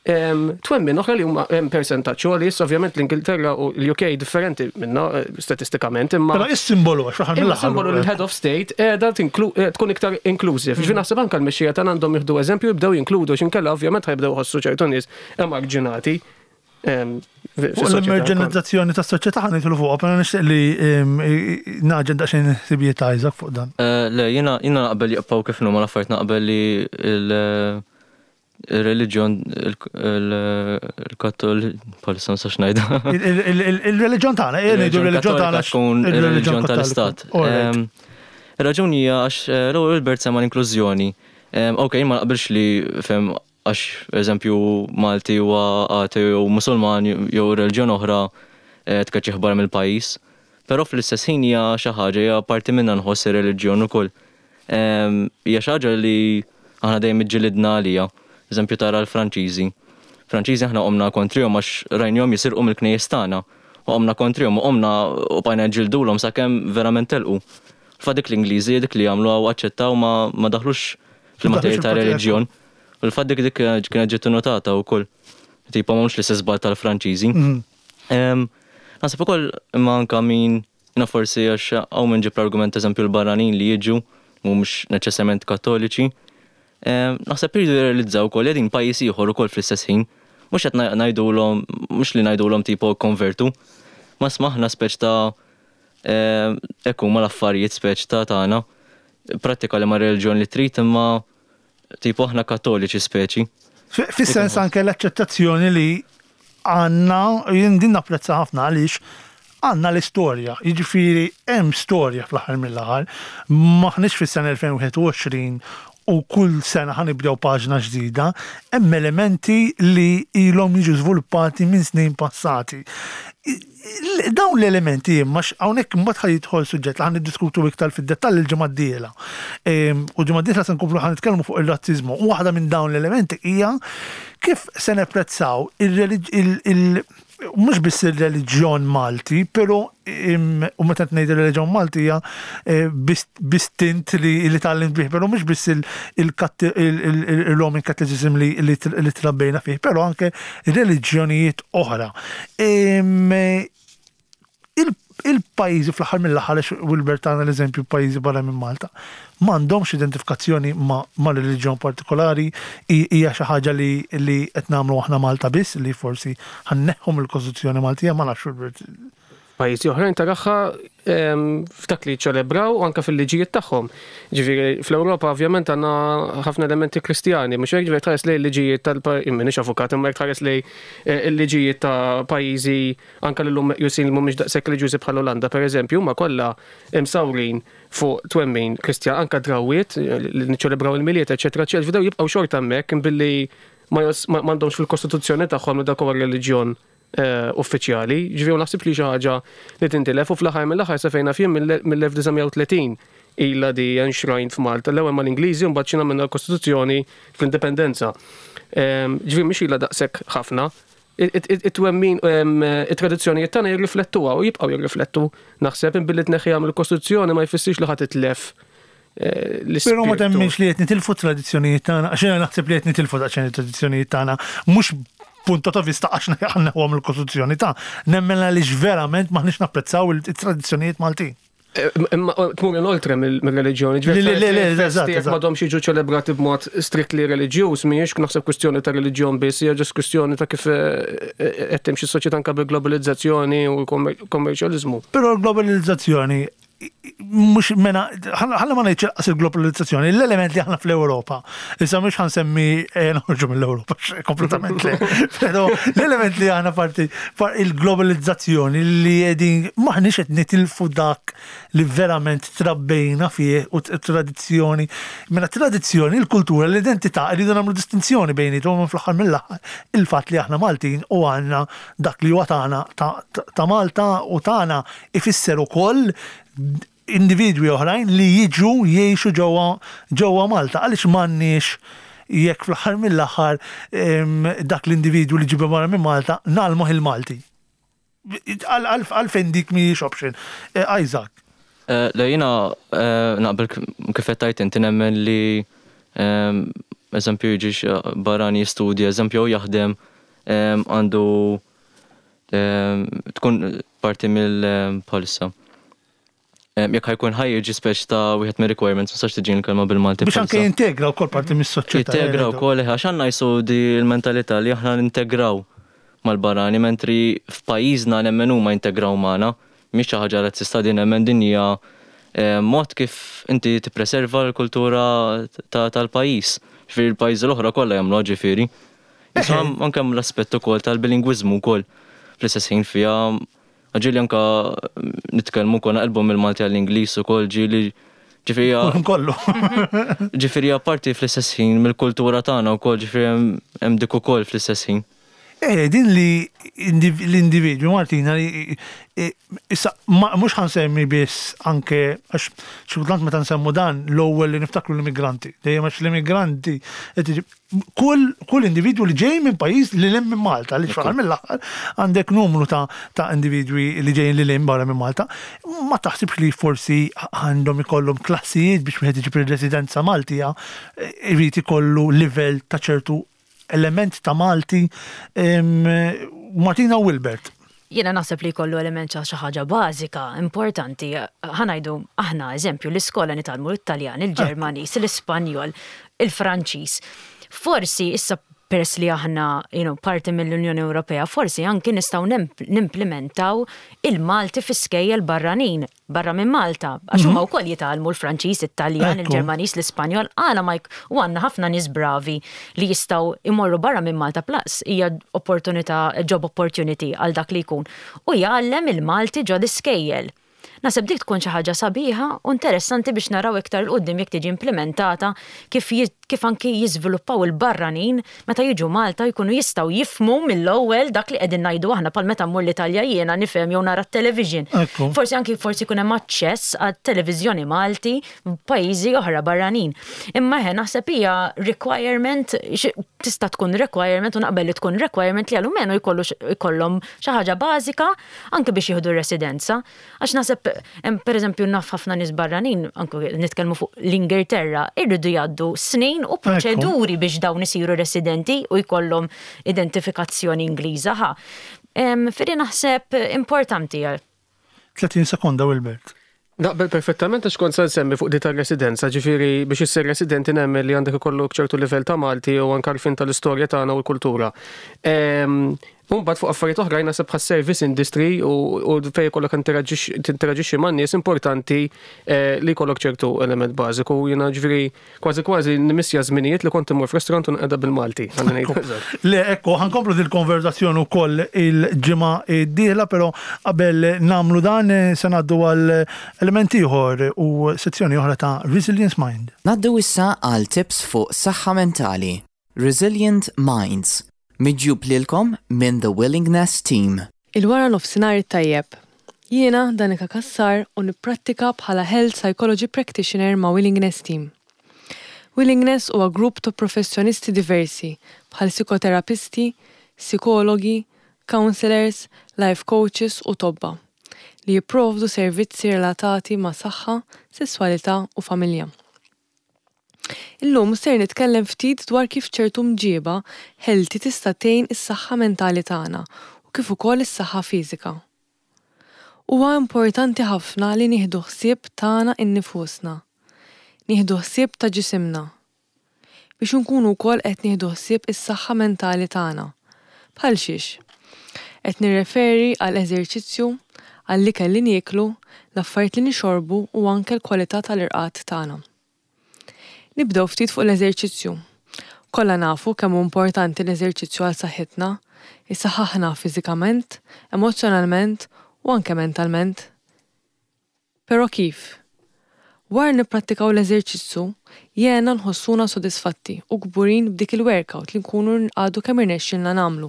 Em, Twemmin oħra li huma hemm persentaġġ għoli, issa ovvjament l-Ingilterra u l-U K differenti minna eh, statistikament, imma Però is-simbolu għax fl-aħħar Imma mill-aħħar. simbolu l-head of state qiegħda tinklu- eh, tkun iktar inclusive. Ġifieri naħseb anke l-mexxija tagħna għandhom jieħdu eżempju, jibdew jinkludu x'inkella ovvjament ħa jibdew ħossu ċertu nies emarġinati em, fi- Fuq fis-soċjetà. l-emarġinalizzazzjoni tas-soċjetà ħa nidħlu fuqha, però nixtieq li em, naġen daqsxejn ħsibijiet ta' Isaac fuq dan. Eh, Le, jiena jiena naqbel jibqgħu kif huma l-affarijiet, naqbel li il- il-reliġjon il-Kattol bħalissa ma nistax ngħidha. Il- il- il- Il-reliġjon tagħna, eh, ngħidu il-reliġjon tagħna. Tkun il-reliġjon tal-istat. All right. Em, Ir-raġuni hija għax eh, l-ewwel Wilbert sema l-inklużjoni. Em, Ok, ma naqbilx li fem għax eżempju Malti huwa ateu jew Musulman jew reliġjon oħra eh, tkeċċih barra mill-pajjiż. Però fl-istess ħin hija xi ħaġa, hija parti minna nħoss ir-reliġjon ukoll. Em, Hija xi ħaġa li aħna dejjem iġġilidna għalija. Eżempju tara l-Franċiżi. Franċiżi aħna qomna kontrihom għax rajnihom jisirqu mill-knejjes tagħna. U qomna kontrihom u qomna u bqajna ġildulhom sakemm verament telqu. Fa dik l-Ingliżi dik li għamlu għaw aċċettaw ma, ma daħlux fil-materja ta' fil-materja. reliġjon. U l-fatt dik dik kienet ġiet notata wkoll. Tipo mhux l-istess żball tal-Franċiżi. Em, Naħseb ukoll imma anka min jiena forsi għax hawn min ġib l-argument, eżempju l-barranin li jiġu mhumiex neċessarjament Kattoliċi. Em, Naħseb iridu jirrealizzaw ukoll qegħdin pajjiż ieħor ukoll fl-istess ħin. Mhux qed ngħidulhom, mhux li ngħidulhom tipo konvertu. Ma smaħna speċ ta' em, hekk huma l-affarijiet speċ ta' tagħna. Prattika li ma' reliġjon li trid, imma tipo aħna Kattoliċi speċi. Fi- Fis-sens anke l-aċċettazzjoni li għandna, jien din napprezza ħafna għaliex għandna l-istorja, jiġifieri hemm storja fl-aħħar mill-aħħar, maħniex fis-sena elfejn u wieħed u għoxrin u kull sena ħa nibdew paġna ġdida, hemm elementi li ilhom jiġu żviluppati minn snin passati. I- Dawn l-elementi imma hawnhekk imbagħad ħa jidħol suġġett li ħa niddiskutu iktar fid-dettall il-ġimgħa d-dieħla. Em, U ġimgħa d-dieħla se nkomplu ħa nitkellmu fuq ir-razziżmu. U waħda minn dawn l-elementi hija kif se nepprezzaw il-relig- il- il- mhux biss il-reliġjon Malti, però im- u meta ngħid il-reliġjon Malti hija eh, bis- bistint li li tgħallimt bih, però mhux biss il- il-Katt- il- il- il-Roman Catholicism li li li trabbejna fih, però anke reliġjonijiet oħra. Em, il- Il-pajjiżi fl-aħħar mill-aħħar, għax Wilbert tana l-eżempju pajjiżi barra minn Malta, m'għandhomx identifikazzjoni ma' ma' reliġjon partikolari, hi- hija xi ħaġa li li qed nagħmlu aħna Malta biss, li forsi ħa nneħħu mill-Kostituzzjoni Maltija, ma nafx, Wilbert. Pajjiżi oħrajn taraha em, f'dak li ċelebraw u anke fil-liġijiet tagħhom. Ġifieri fl-Ewropa ovvjament għandna ħafna elementi Kristjani, mhux hekk? Ġifieri tħares lejn il-liġijiet tal minix avukat, imma jekk tħares lejn eh, il-liġijiet ta' pajjiżi anke li llum meqjusin li mhumiex daqshekk reliġjużi bħal Olanda pereżempju, huma kollha imsawrin fuq twemmin Kristjan, anke drawwiet eh, li niċċelebraw il-Milied, eċetera, eċetera. Ġifieri jibqgħu xorta hemmhekk billi ma jos- ma- m'għandhomx fil-kostituzzjoni tagħhom li dak huwa reliġjon eh, uffiċjali. Ġifieri naħseb li xi ħaġa li tintilef u fl-aħħar mill-aħħar sa fejn naf jien mill-elf disa' mija u tletin ilha di enshrined f'Malta, l-ewwel mal-Ingliżi u mbagħad xi minna l-Kostituzzjoni fl-Indipendenza. Ehm, Ġifieri mhix ilha daqshekk ħafna. It-twemmin, it-tradizzjonijiet tagħna jirriflettuha u jibqgħu jirriflettu. Naħseb billi tneħħiha mill-Kostituzzjoni ma jfissirx li ħadd titlef eh, Però ma l-ispirtu. temminx li qed nitilfu tradizzjonijiet tagħna, għax jiena naħseb li qed nitilfu daqsxejn it-tradizzjonijiet tagħna, mhux punto ta' vista għax għandna huwa mill-Kostituzzjoni ta' nemmen għaliex verament maħniex napprezzaw il-tradizzjonijiet Maltin. Eh, Imma tmur in oltre mill-reliġjoni. Le, le, le, le, eżatt, Jekk eżatt. m'għadhomx jiġu ċelebrati b'mod strictly reliġjuż, mhijiex naħseb kwistjoni ta' reliġjon biss, hija ġust kwistjoni ta' kif eh, eh, qed timxi s-soċjetà anke bil-globalizzazzjoni u l-kommerċjaliżmu. Però l-globalizzazzjoni Mhux mena, ħalla ma ngħidx qas il-globalizzazzjoni, l-element li aħna fl-Ewropa. Issa mhux ħa nsemmi eh, noħorġu mill-Ewropa, kompletament le. Però l-element li aħna parti il-globalizzazzjoni li qegħdin maħniex qed nitilfu dak li verament trabbejna fih u tradizzjoni. Mela tradizzjoni, il-kultura, l-identità, rridu nagħmlu distinzjoni bejniethom fl-aħħar mill-aħħar il-fatt li aħna Maltin u għandna dak li huwa tagħna ta' Malta u tagħna ifisser ukoll individwi oħrajn li jiġu jgħixu ġewwa ġewwa Malta. Għaliex m'għandniex jekk fl-aħħar mill-aħħar dak l-individwu li ġibu barra minn Malta ngħallmuh il-Malti? Għalfejn dik mhijiex option? Eh, Isaac. Eh, le jiena eh, naqbel kif qed tgħid inti, nemmen li eżempju jiġi barrani jistudja, eżempju jaħdem, għandu tkun parti mill-polisa. Jekk ħa jkun ħa jiġi speċ ta' wieħed mir requirements, ma sax tiġi l-kelma bil-Malti. Biex anke jintegra wkoll parti mis-soċjetà. Jintegra wkoll, għax għandna jisu di l-mentalità li aħna nintegraw mal-barrani, mentri f'pajjiżna nemmen huma jintegraw magħna. Mhix xi ħaġa razzista din, nemmen din hija mod kif inti tippreserva l-kultura tal-pajjiż. Ġifieri l-pajjiżi l-oħra kollha jagħmlu, ġifieri. Anke l-aspett ukoll tal-bilingwiżmu wkoll fl-istess ħin fiha, ġieli anka nitkellmu konna naqilbu mill-Malti għall-Ingliż ukoll ġieli, ġifieri. Kollu. Ġifieri parti fl-istess ħin mill-kultura tagħna wkoll, ġifieri hemm dik ukoll fl-istess ħin. Eh, din li l-individwi, Martina, li issa mhux ħa nsemmi biss anke għax xi kultant meta nsemmu dan l-ewwel li niftakru l-immigranti. Dejjem għax l-immigranti, kull kull individwu li ġej minn pajjiż li lil minn Malta, li xfaħar mill-aħħar għandek numru ta' ta' individwi li ġejjin li lil barra minn Malta, ma taħsibx li forsi għandhom ikollhom klassijiet biex wieħed iġib ir-residenza Maltija, irid ikollu livell ta' ċertu element ta' Malti? Martina, Wilbert. Jiena naħseb li jkollu element xi ħaġa bażika, importanti. Ħa ngħidu aħna, eżempju, l-iskola nitgħallmu l-Italjan, il-Ġermaniż, l-Ispanjol, il-Franċiż. Forsi issa peress li aħna you know, parti mill-Unjoni Ewropea, forsi anki nistgħu nimplementaw il-Malti fi skejjel barranin, barra minn Malta, għax huma mhm. wkoll jitgħallmu l-Franċiż, it-Taljan, il-Ġermaniż, l-Ispanjol, għala ma u għandna ħafna nies bravi li jistgħu imorru barra minn Malta, plus hija opportunità, job opportunity għal dak li jkun. U jgħallem il-Malti ġo l-iskejjel. Naħseb dik tkun xi ħaġa sabiħa u interessanti biex naraw iktar 'il quddiem jekk tiġi implementata kif kif anki jiżviluppaw il-barranin meta jiġu Malta jkunu jistgħu jifhmu mill-ewwel dak li qegħdin ngħidu aħna, bħal meta mmur l-Italja jiena nifhem jew nara t-television. Forsi anki forsi jkun hemm aċċess għat-televiżjoni Malti f'pajjiżi oħra barranin. Imma ħe naħseb hija requirement, tista' tkun requirement u naqbel li tkun requirement li għalmenu jkollhom xi ħaġa bażika anke biex jieħdu residenza. Għax naħseb, per eżempju, naf ħafna nies barranin, anke nitkellmu fuq l-Ingilterra, irridu jgħaddu snin u proċeduri biex dawn isiru residenti u jkollhom identifikazzjoni Ingliża ħa. Firri naħseb importanti. tletin sekonda, Wilbert. Naqbel perfettament għax kont se nsemmi fuq di tar-residenza, ġifieri biex issir residenti nemmen li għandek ikollok ċertu livell ta' Malti u anke għarfien tal-istorja tagħna u l-kultura. Mbagħad fuq affarijiet oħrajn naħseb bħas-service industry u u fejn jkollok tinteraġixxi man-nies, importanti eh, li jkollok ċertu element bażiku. Jiena ġifieri kważi kważi nimmissja żminijiet li kont immur f'restaurant u nqeda bil-Malti. Għandi ngħid eżatt. Le, ekku, ħa nkomplu dil-konverzazzjoni wkoll il-ġimgħa d-dieħla, però qabel nagħmlu dan eh, se ngħaddu għal element ieħor u sezzjoni oħra ta' Resilience Mind. Ngħaddu issa għal tips fuq saħħa mentali. Resilient Minds. Miġjub lilkom minn The Willingness Team. Il-wara nofsinhar tajjeb. Jiena Danika Kassar u nipprattika bħala Health Psychology Practitioner ma' Willingness Team. Willingness huwa grupp ta' professjonisti diversi bħal psikoterapisti, psikologi, counselors, life coaches u tobba li jipprovdu servizzi relatati ma' saħħa, sesswalità u familja. Illum ser nitkellem ftit dwar kif ċertu mġiba healthy tista' tgħin is-saħħa mentali tagħna u kif ukoll is-saħħa fiżika. Huwa importanti ħafna li nieħdu ħsieb tagħna innifusna. Nieħdu ħsieb ta' ġisimna. Biex nkunu wkoll qed nieħdu ħsieb is-saħħa mentali tagħna. Bħal xiex? Qed nirreferi għal eżerċizzju, għall-ikel li nieklu, l-affarijiet li nixorbu u anke l-kwalità tal-irqad tagħna. Nibdew ftit fuq l-eżerċizzju. Kollha nafu kemm hu importanti l-eżerċizzju għal saħħitna, isaħħaħna fiżikament, emozzjonalment u anke mentalment. Però kif? Wara nipprattikaw l-eżerċizzju, jiena nħossuna sodisfatti u kburin b'dik il-workout li nkunu għadu kemm irnexxilna nagħmlu.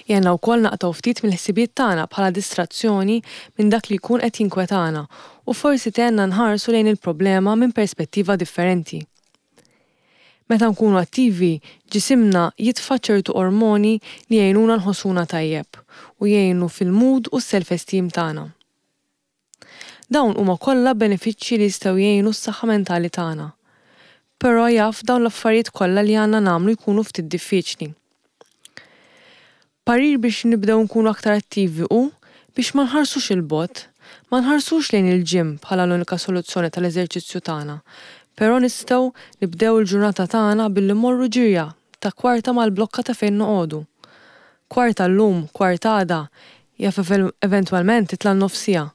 Jgħinna wkoll naqtgħu ftit mill-ħsibijiet tagħna bħala distrazzjoni minn dak li jkun qed jinkwetana u forsi tgħinna nħarsu lejn il-problema minn perspettiva differenti. Meta nkunu attivi, ġisimna jitfa' ċertu ormoni li jgħinuna nħossuna tajjeb u jgħinu fil-mood u s-self-esteem tagħna. Dawn huma kollha benefiċċji li jistgħu jgħinu s-saħħa mentali tagħna. Però jaf dawn l-affarijiet kollha li għandna nagħmlu jkunu ftit diffiċli. Parir biex nibdew nkunu aktar attivi hu biex ma nħarsux 'il bogħod, ma nħarsux lejn il-gym bħala l-unika soluzzjoni tal-eżerċizzju tagħna, però nistgħu nibdew il-ġurnata tagħna billi mmorru ġirja ta' kwarta mal-blokka ta' fejn noqogħdu. Kwarta llum, kwarta għada, jaf eventwalment titla' nofs siegħa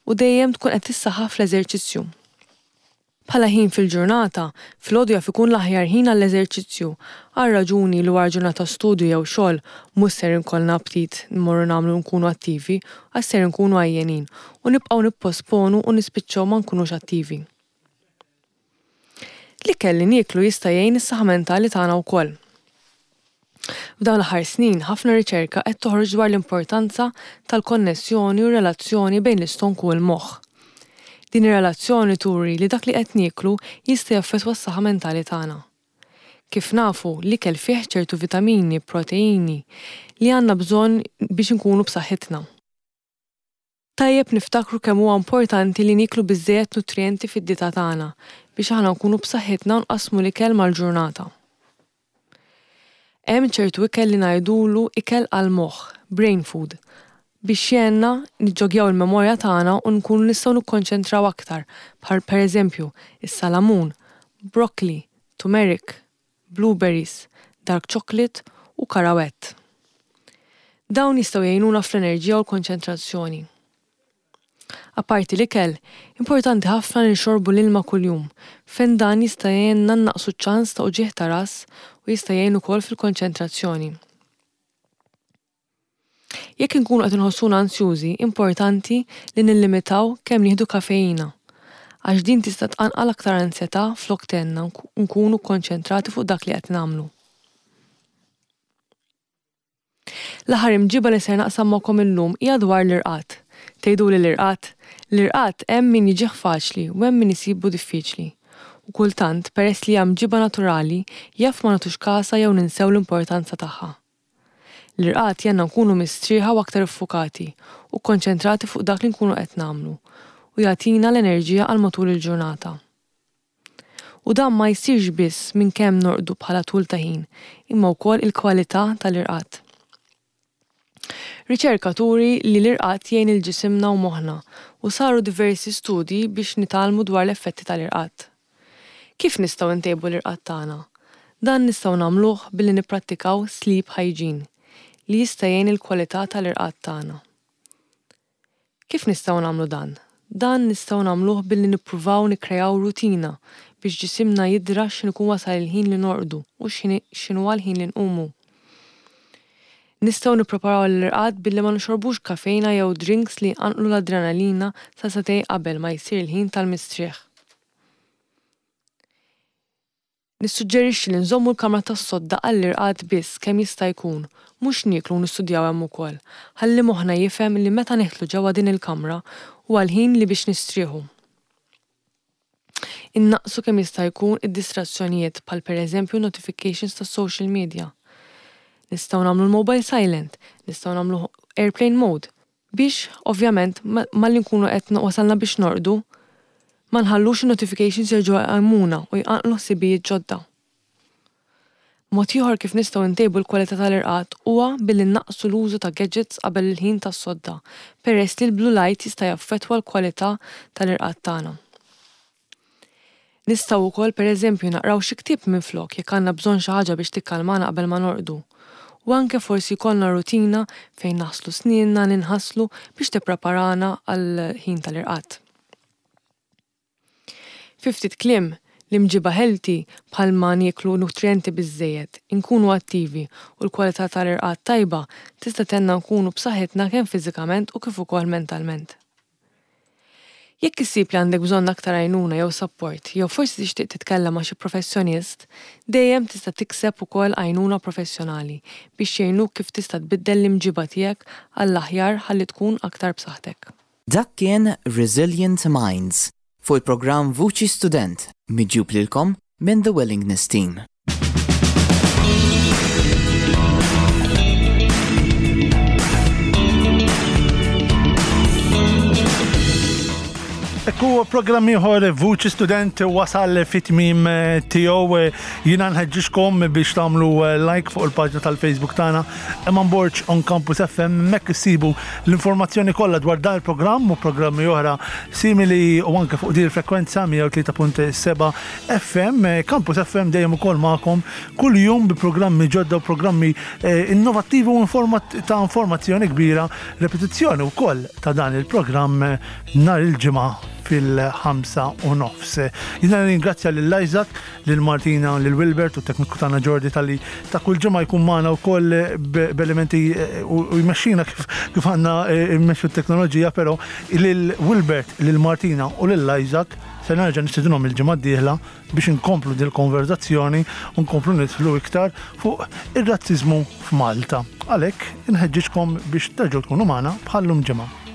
u dejjem tkun qed tissaħħaħ fl-eżerċizzju. Bħala ħin fil-ġurnata, filgħodu jaf ikun l-aħjar ħin għall-eżerċizzju, għal raġuni li wara ġurnata studju jew xogħol mhux ser inkollna aptit nmorru nagħmlu nkunu attivi, għax ser nkunu għajjenin u nibqgħu nipposponu u nispiċċaw ma nkunux attivi. L-ikel li nieklu jista' jgħin is-saħħa mentali tagħna wkoll. F'dawn l-aħħar snin, ħafna riċerka qed toħroġ dwar l-importanza tal-konnessjoni u relazzjoni bejn l-istonku u l-moħħ. Din ir-relazzjoni turi li dak li qed nieklu jista' jaffettwa s-saħħa mentali tagħna. Kif nafu, l-ikel fih ċertu vitamini, proteini li għandna bżonn biex inkunu b'saħħitna. Tajjeb niftakru kemm huwa importanti li nieklu biżżejjed nutrijenti fid-dieta tagħna biex aħna nkunu b'saħħitna u nqassmu l-ikel mal-ġurnata. Hemm ċertu ikel li ngħidulu ikel għall-moħħ, brain food, biex jgħinna niġġogjaw il-memorja tagħna u nkunu nistgħu nikkonċentraw aktar, bħal pereżempju is-salamun, broccoli, turmeric, blueberries, dark chocolate u karawett. Dawn jistgħu jgħinuna fl-enerġija u l-konċentrazzjoni. Apparti l-ikel, importanti ħafna li nxorbu l-ilma kuljum, fejn dan jista' jgħinna nnaqqsu ċ-ċans ta' uġigħ ta' ras u jista' jgħin ukoll fil-konċentrazzjoni. Jekk inkunu qed inħossuna ansjużi, importanti li nillimitaw kemm nieħdu kafeina, għax din tista' tqanqal aktar ansjetà flok tgħinna nkunu kkonċentrati fuq dak li qed nagħmlu. L-aħħar imġiba li ser naqsam magħkom illum hija dwar l-irqad. Tgħiduli l-irqad? L-irqad hemm min jiġih faċli u hemm min isibu diffiċli. U kultant, peress li hija mġiba naturali, jaf ma nagħtux kasha jew ninsew l-importanza tagħha. L-irqad jgħinna nkunu mistrieħa u aktar iffukati u kkonċentrati fuq dak li nkunu qed nagħmlu u jagħtina l-enerġija għal matul il-ġurnata. U dan ma jsirx biss minn kemm norqdu bħala tul ta' ħin, imma wkoll il-kwalità tal-irqad. Riċerka turi li l-irqad jgħin il-ġisimna u moħħna u saru diversi studji biex nitgħallmu dwar l-effetti tal-irqad. Kif nistgħu ntejbu l-irqad tagħna? Dan nistgħu nagħmluh billi nipprattikaw sleep hygiene li jista' jgħin il-kwalità tal-irqad tagħna. Kif nistgħu nagħmlu dan? Dan nistgħu nagħmluh billi nippruvaw nikkreaw rutina biex ġisimna jidra x'inhu jkun wasal il-ħin li norqdu u x'inhu l-ħin li nqumu. Nistgħu nippreparaw l-irqad billi ma nixorbux kafeina jew drinks li jqanqlu l-adrenalina sa sagħtejn qabel ma jsir il-ħin tal-mistrieħ. Nissuġġerixxi li nżommu l-kamra tas-sodda għall-irqad biss kemm jista' jkun, mhux nieklu u nistudjaw hemm ukoll, ħalli moħħna jifhem li meta nidħlu ġewwa din il-kamra huwa l-ħin li biex nistrieħu. Innaqqsu kemm jista' jkun id-distrazzjonijiet bħal pereżempju notifications tas-social media. Nistgħu nagħmlu l-mobile silent, nistgħu nagħmlu airplane mode biex ovvjament malli nkunu qed wasalna biex norqdu ma nħallux in-notifications jerġgħu jqajmuna u jqanqlu ħsibijiet ġodda. Mod ieħor kif nistgħu ntejbu l-kwalità tal-irqad huwa billi nnaqqsu l-użu ta' gadgets qabel il-ħin tas-sodda, peress li l-blue light jista' jaffettwa l-kwalità tal-irqad tagħna. Nistgħu wkoll pereżempju naqraw xi ktieb minflok jekk għandna bżonn xi ħaġa biex tikkalmana qabel ma norqdu. U anke forsi jkollna rutina fejn naħslu snienna, ninħaslu biex tippreparana għal ħin tal-irqad. Fi ftit kliem, l-imġiba healthy bħalma nieklu nutrienti biżżejjed, inkunu attivi u l-kwalità tal-irqad tajba tista' tgħinna nkunu b'saħħitna kemm fiżikament u kif ukoll mentalment. Jekk issib li għandek bżonn aktar għajnuna jew support, jew forsi tixtieq titkellem ma' xi professjonist, dejjem tista' tikseb ukoll għajnuna professjonali biex jgħinuk kif tista' tbiddel l-imġiba tiegħek għall-aħjar ħalli tkun aktar b'saħħtek. Dak kien Resilient Minds fuq il-programm Vuċi Student miġjub lilkom minn The Willingness Team. Ekku programm ieħor Vuċi Student wasal fit-tmiem tiegħu. Jiena nħeġġixkom biex tagħmlu like fuq il-paġna tal-Facebook tagħna Eman Borg on Campus F M. Hemmhekk issibu l-informazzjoni kollha dwar dan il-programm u programmi oħra simili u anke fuq din il-frekwenza mija u tlieta punt seba' F M. Campus F M dejjem ukoll magħkom kull jum bi programmi ġodda u programmi eh, innovattivi u ta' informazzjoni kbira, repetizzjoni wkoll ta' dan il-programm nhar il-Ġimgħa fil-ħamsa u nofs. Jiena ringrazzja lil Isaac, lil Martina, lil Wilbert u tekniku tagħna Jordi talli ta' kull ġimgħa jkun magħna wkoll b'elementi eh, u jmexxina kif kif għandna eh, mmexxu t-teknoloġija, però lil Wilbert, lil Martina u lil Isaac se nerġa' nistedinhom il-ġimgħa d-dieħla biex inkomplu dil konverzazzjoni u nkomplu nidħlu iktar fuq ir-razziżmu f'Malta. Għalhekk inħeġġiġkom biex terġgħu tkunu magħna bħallum ġimgħa.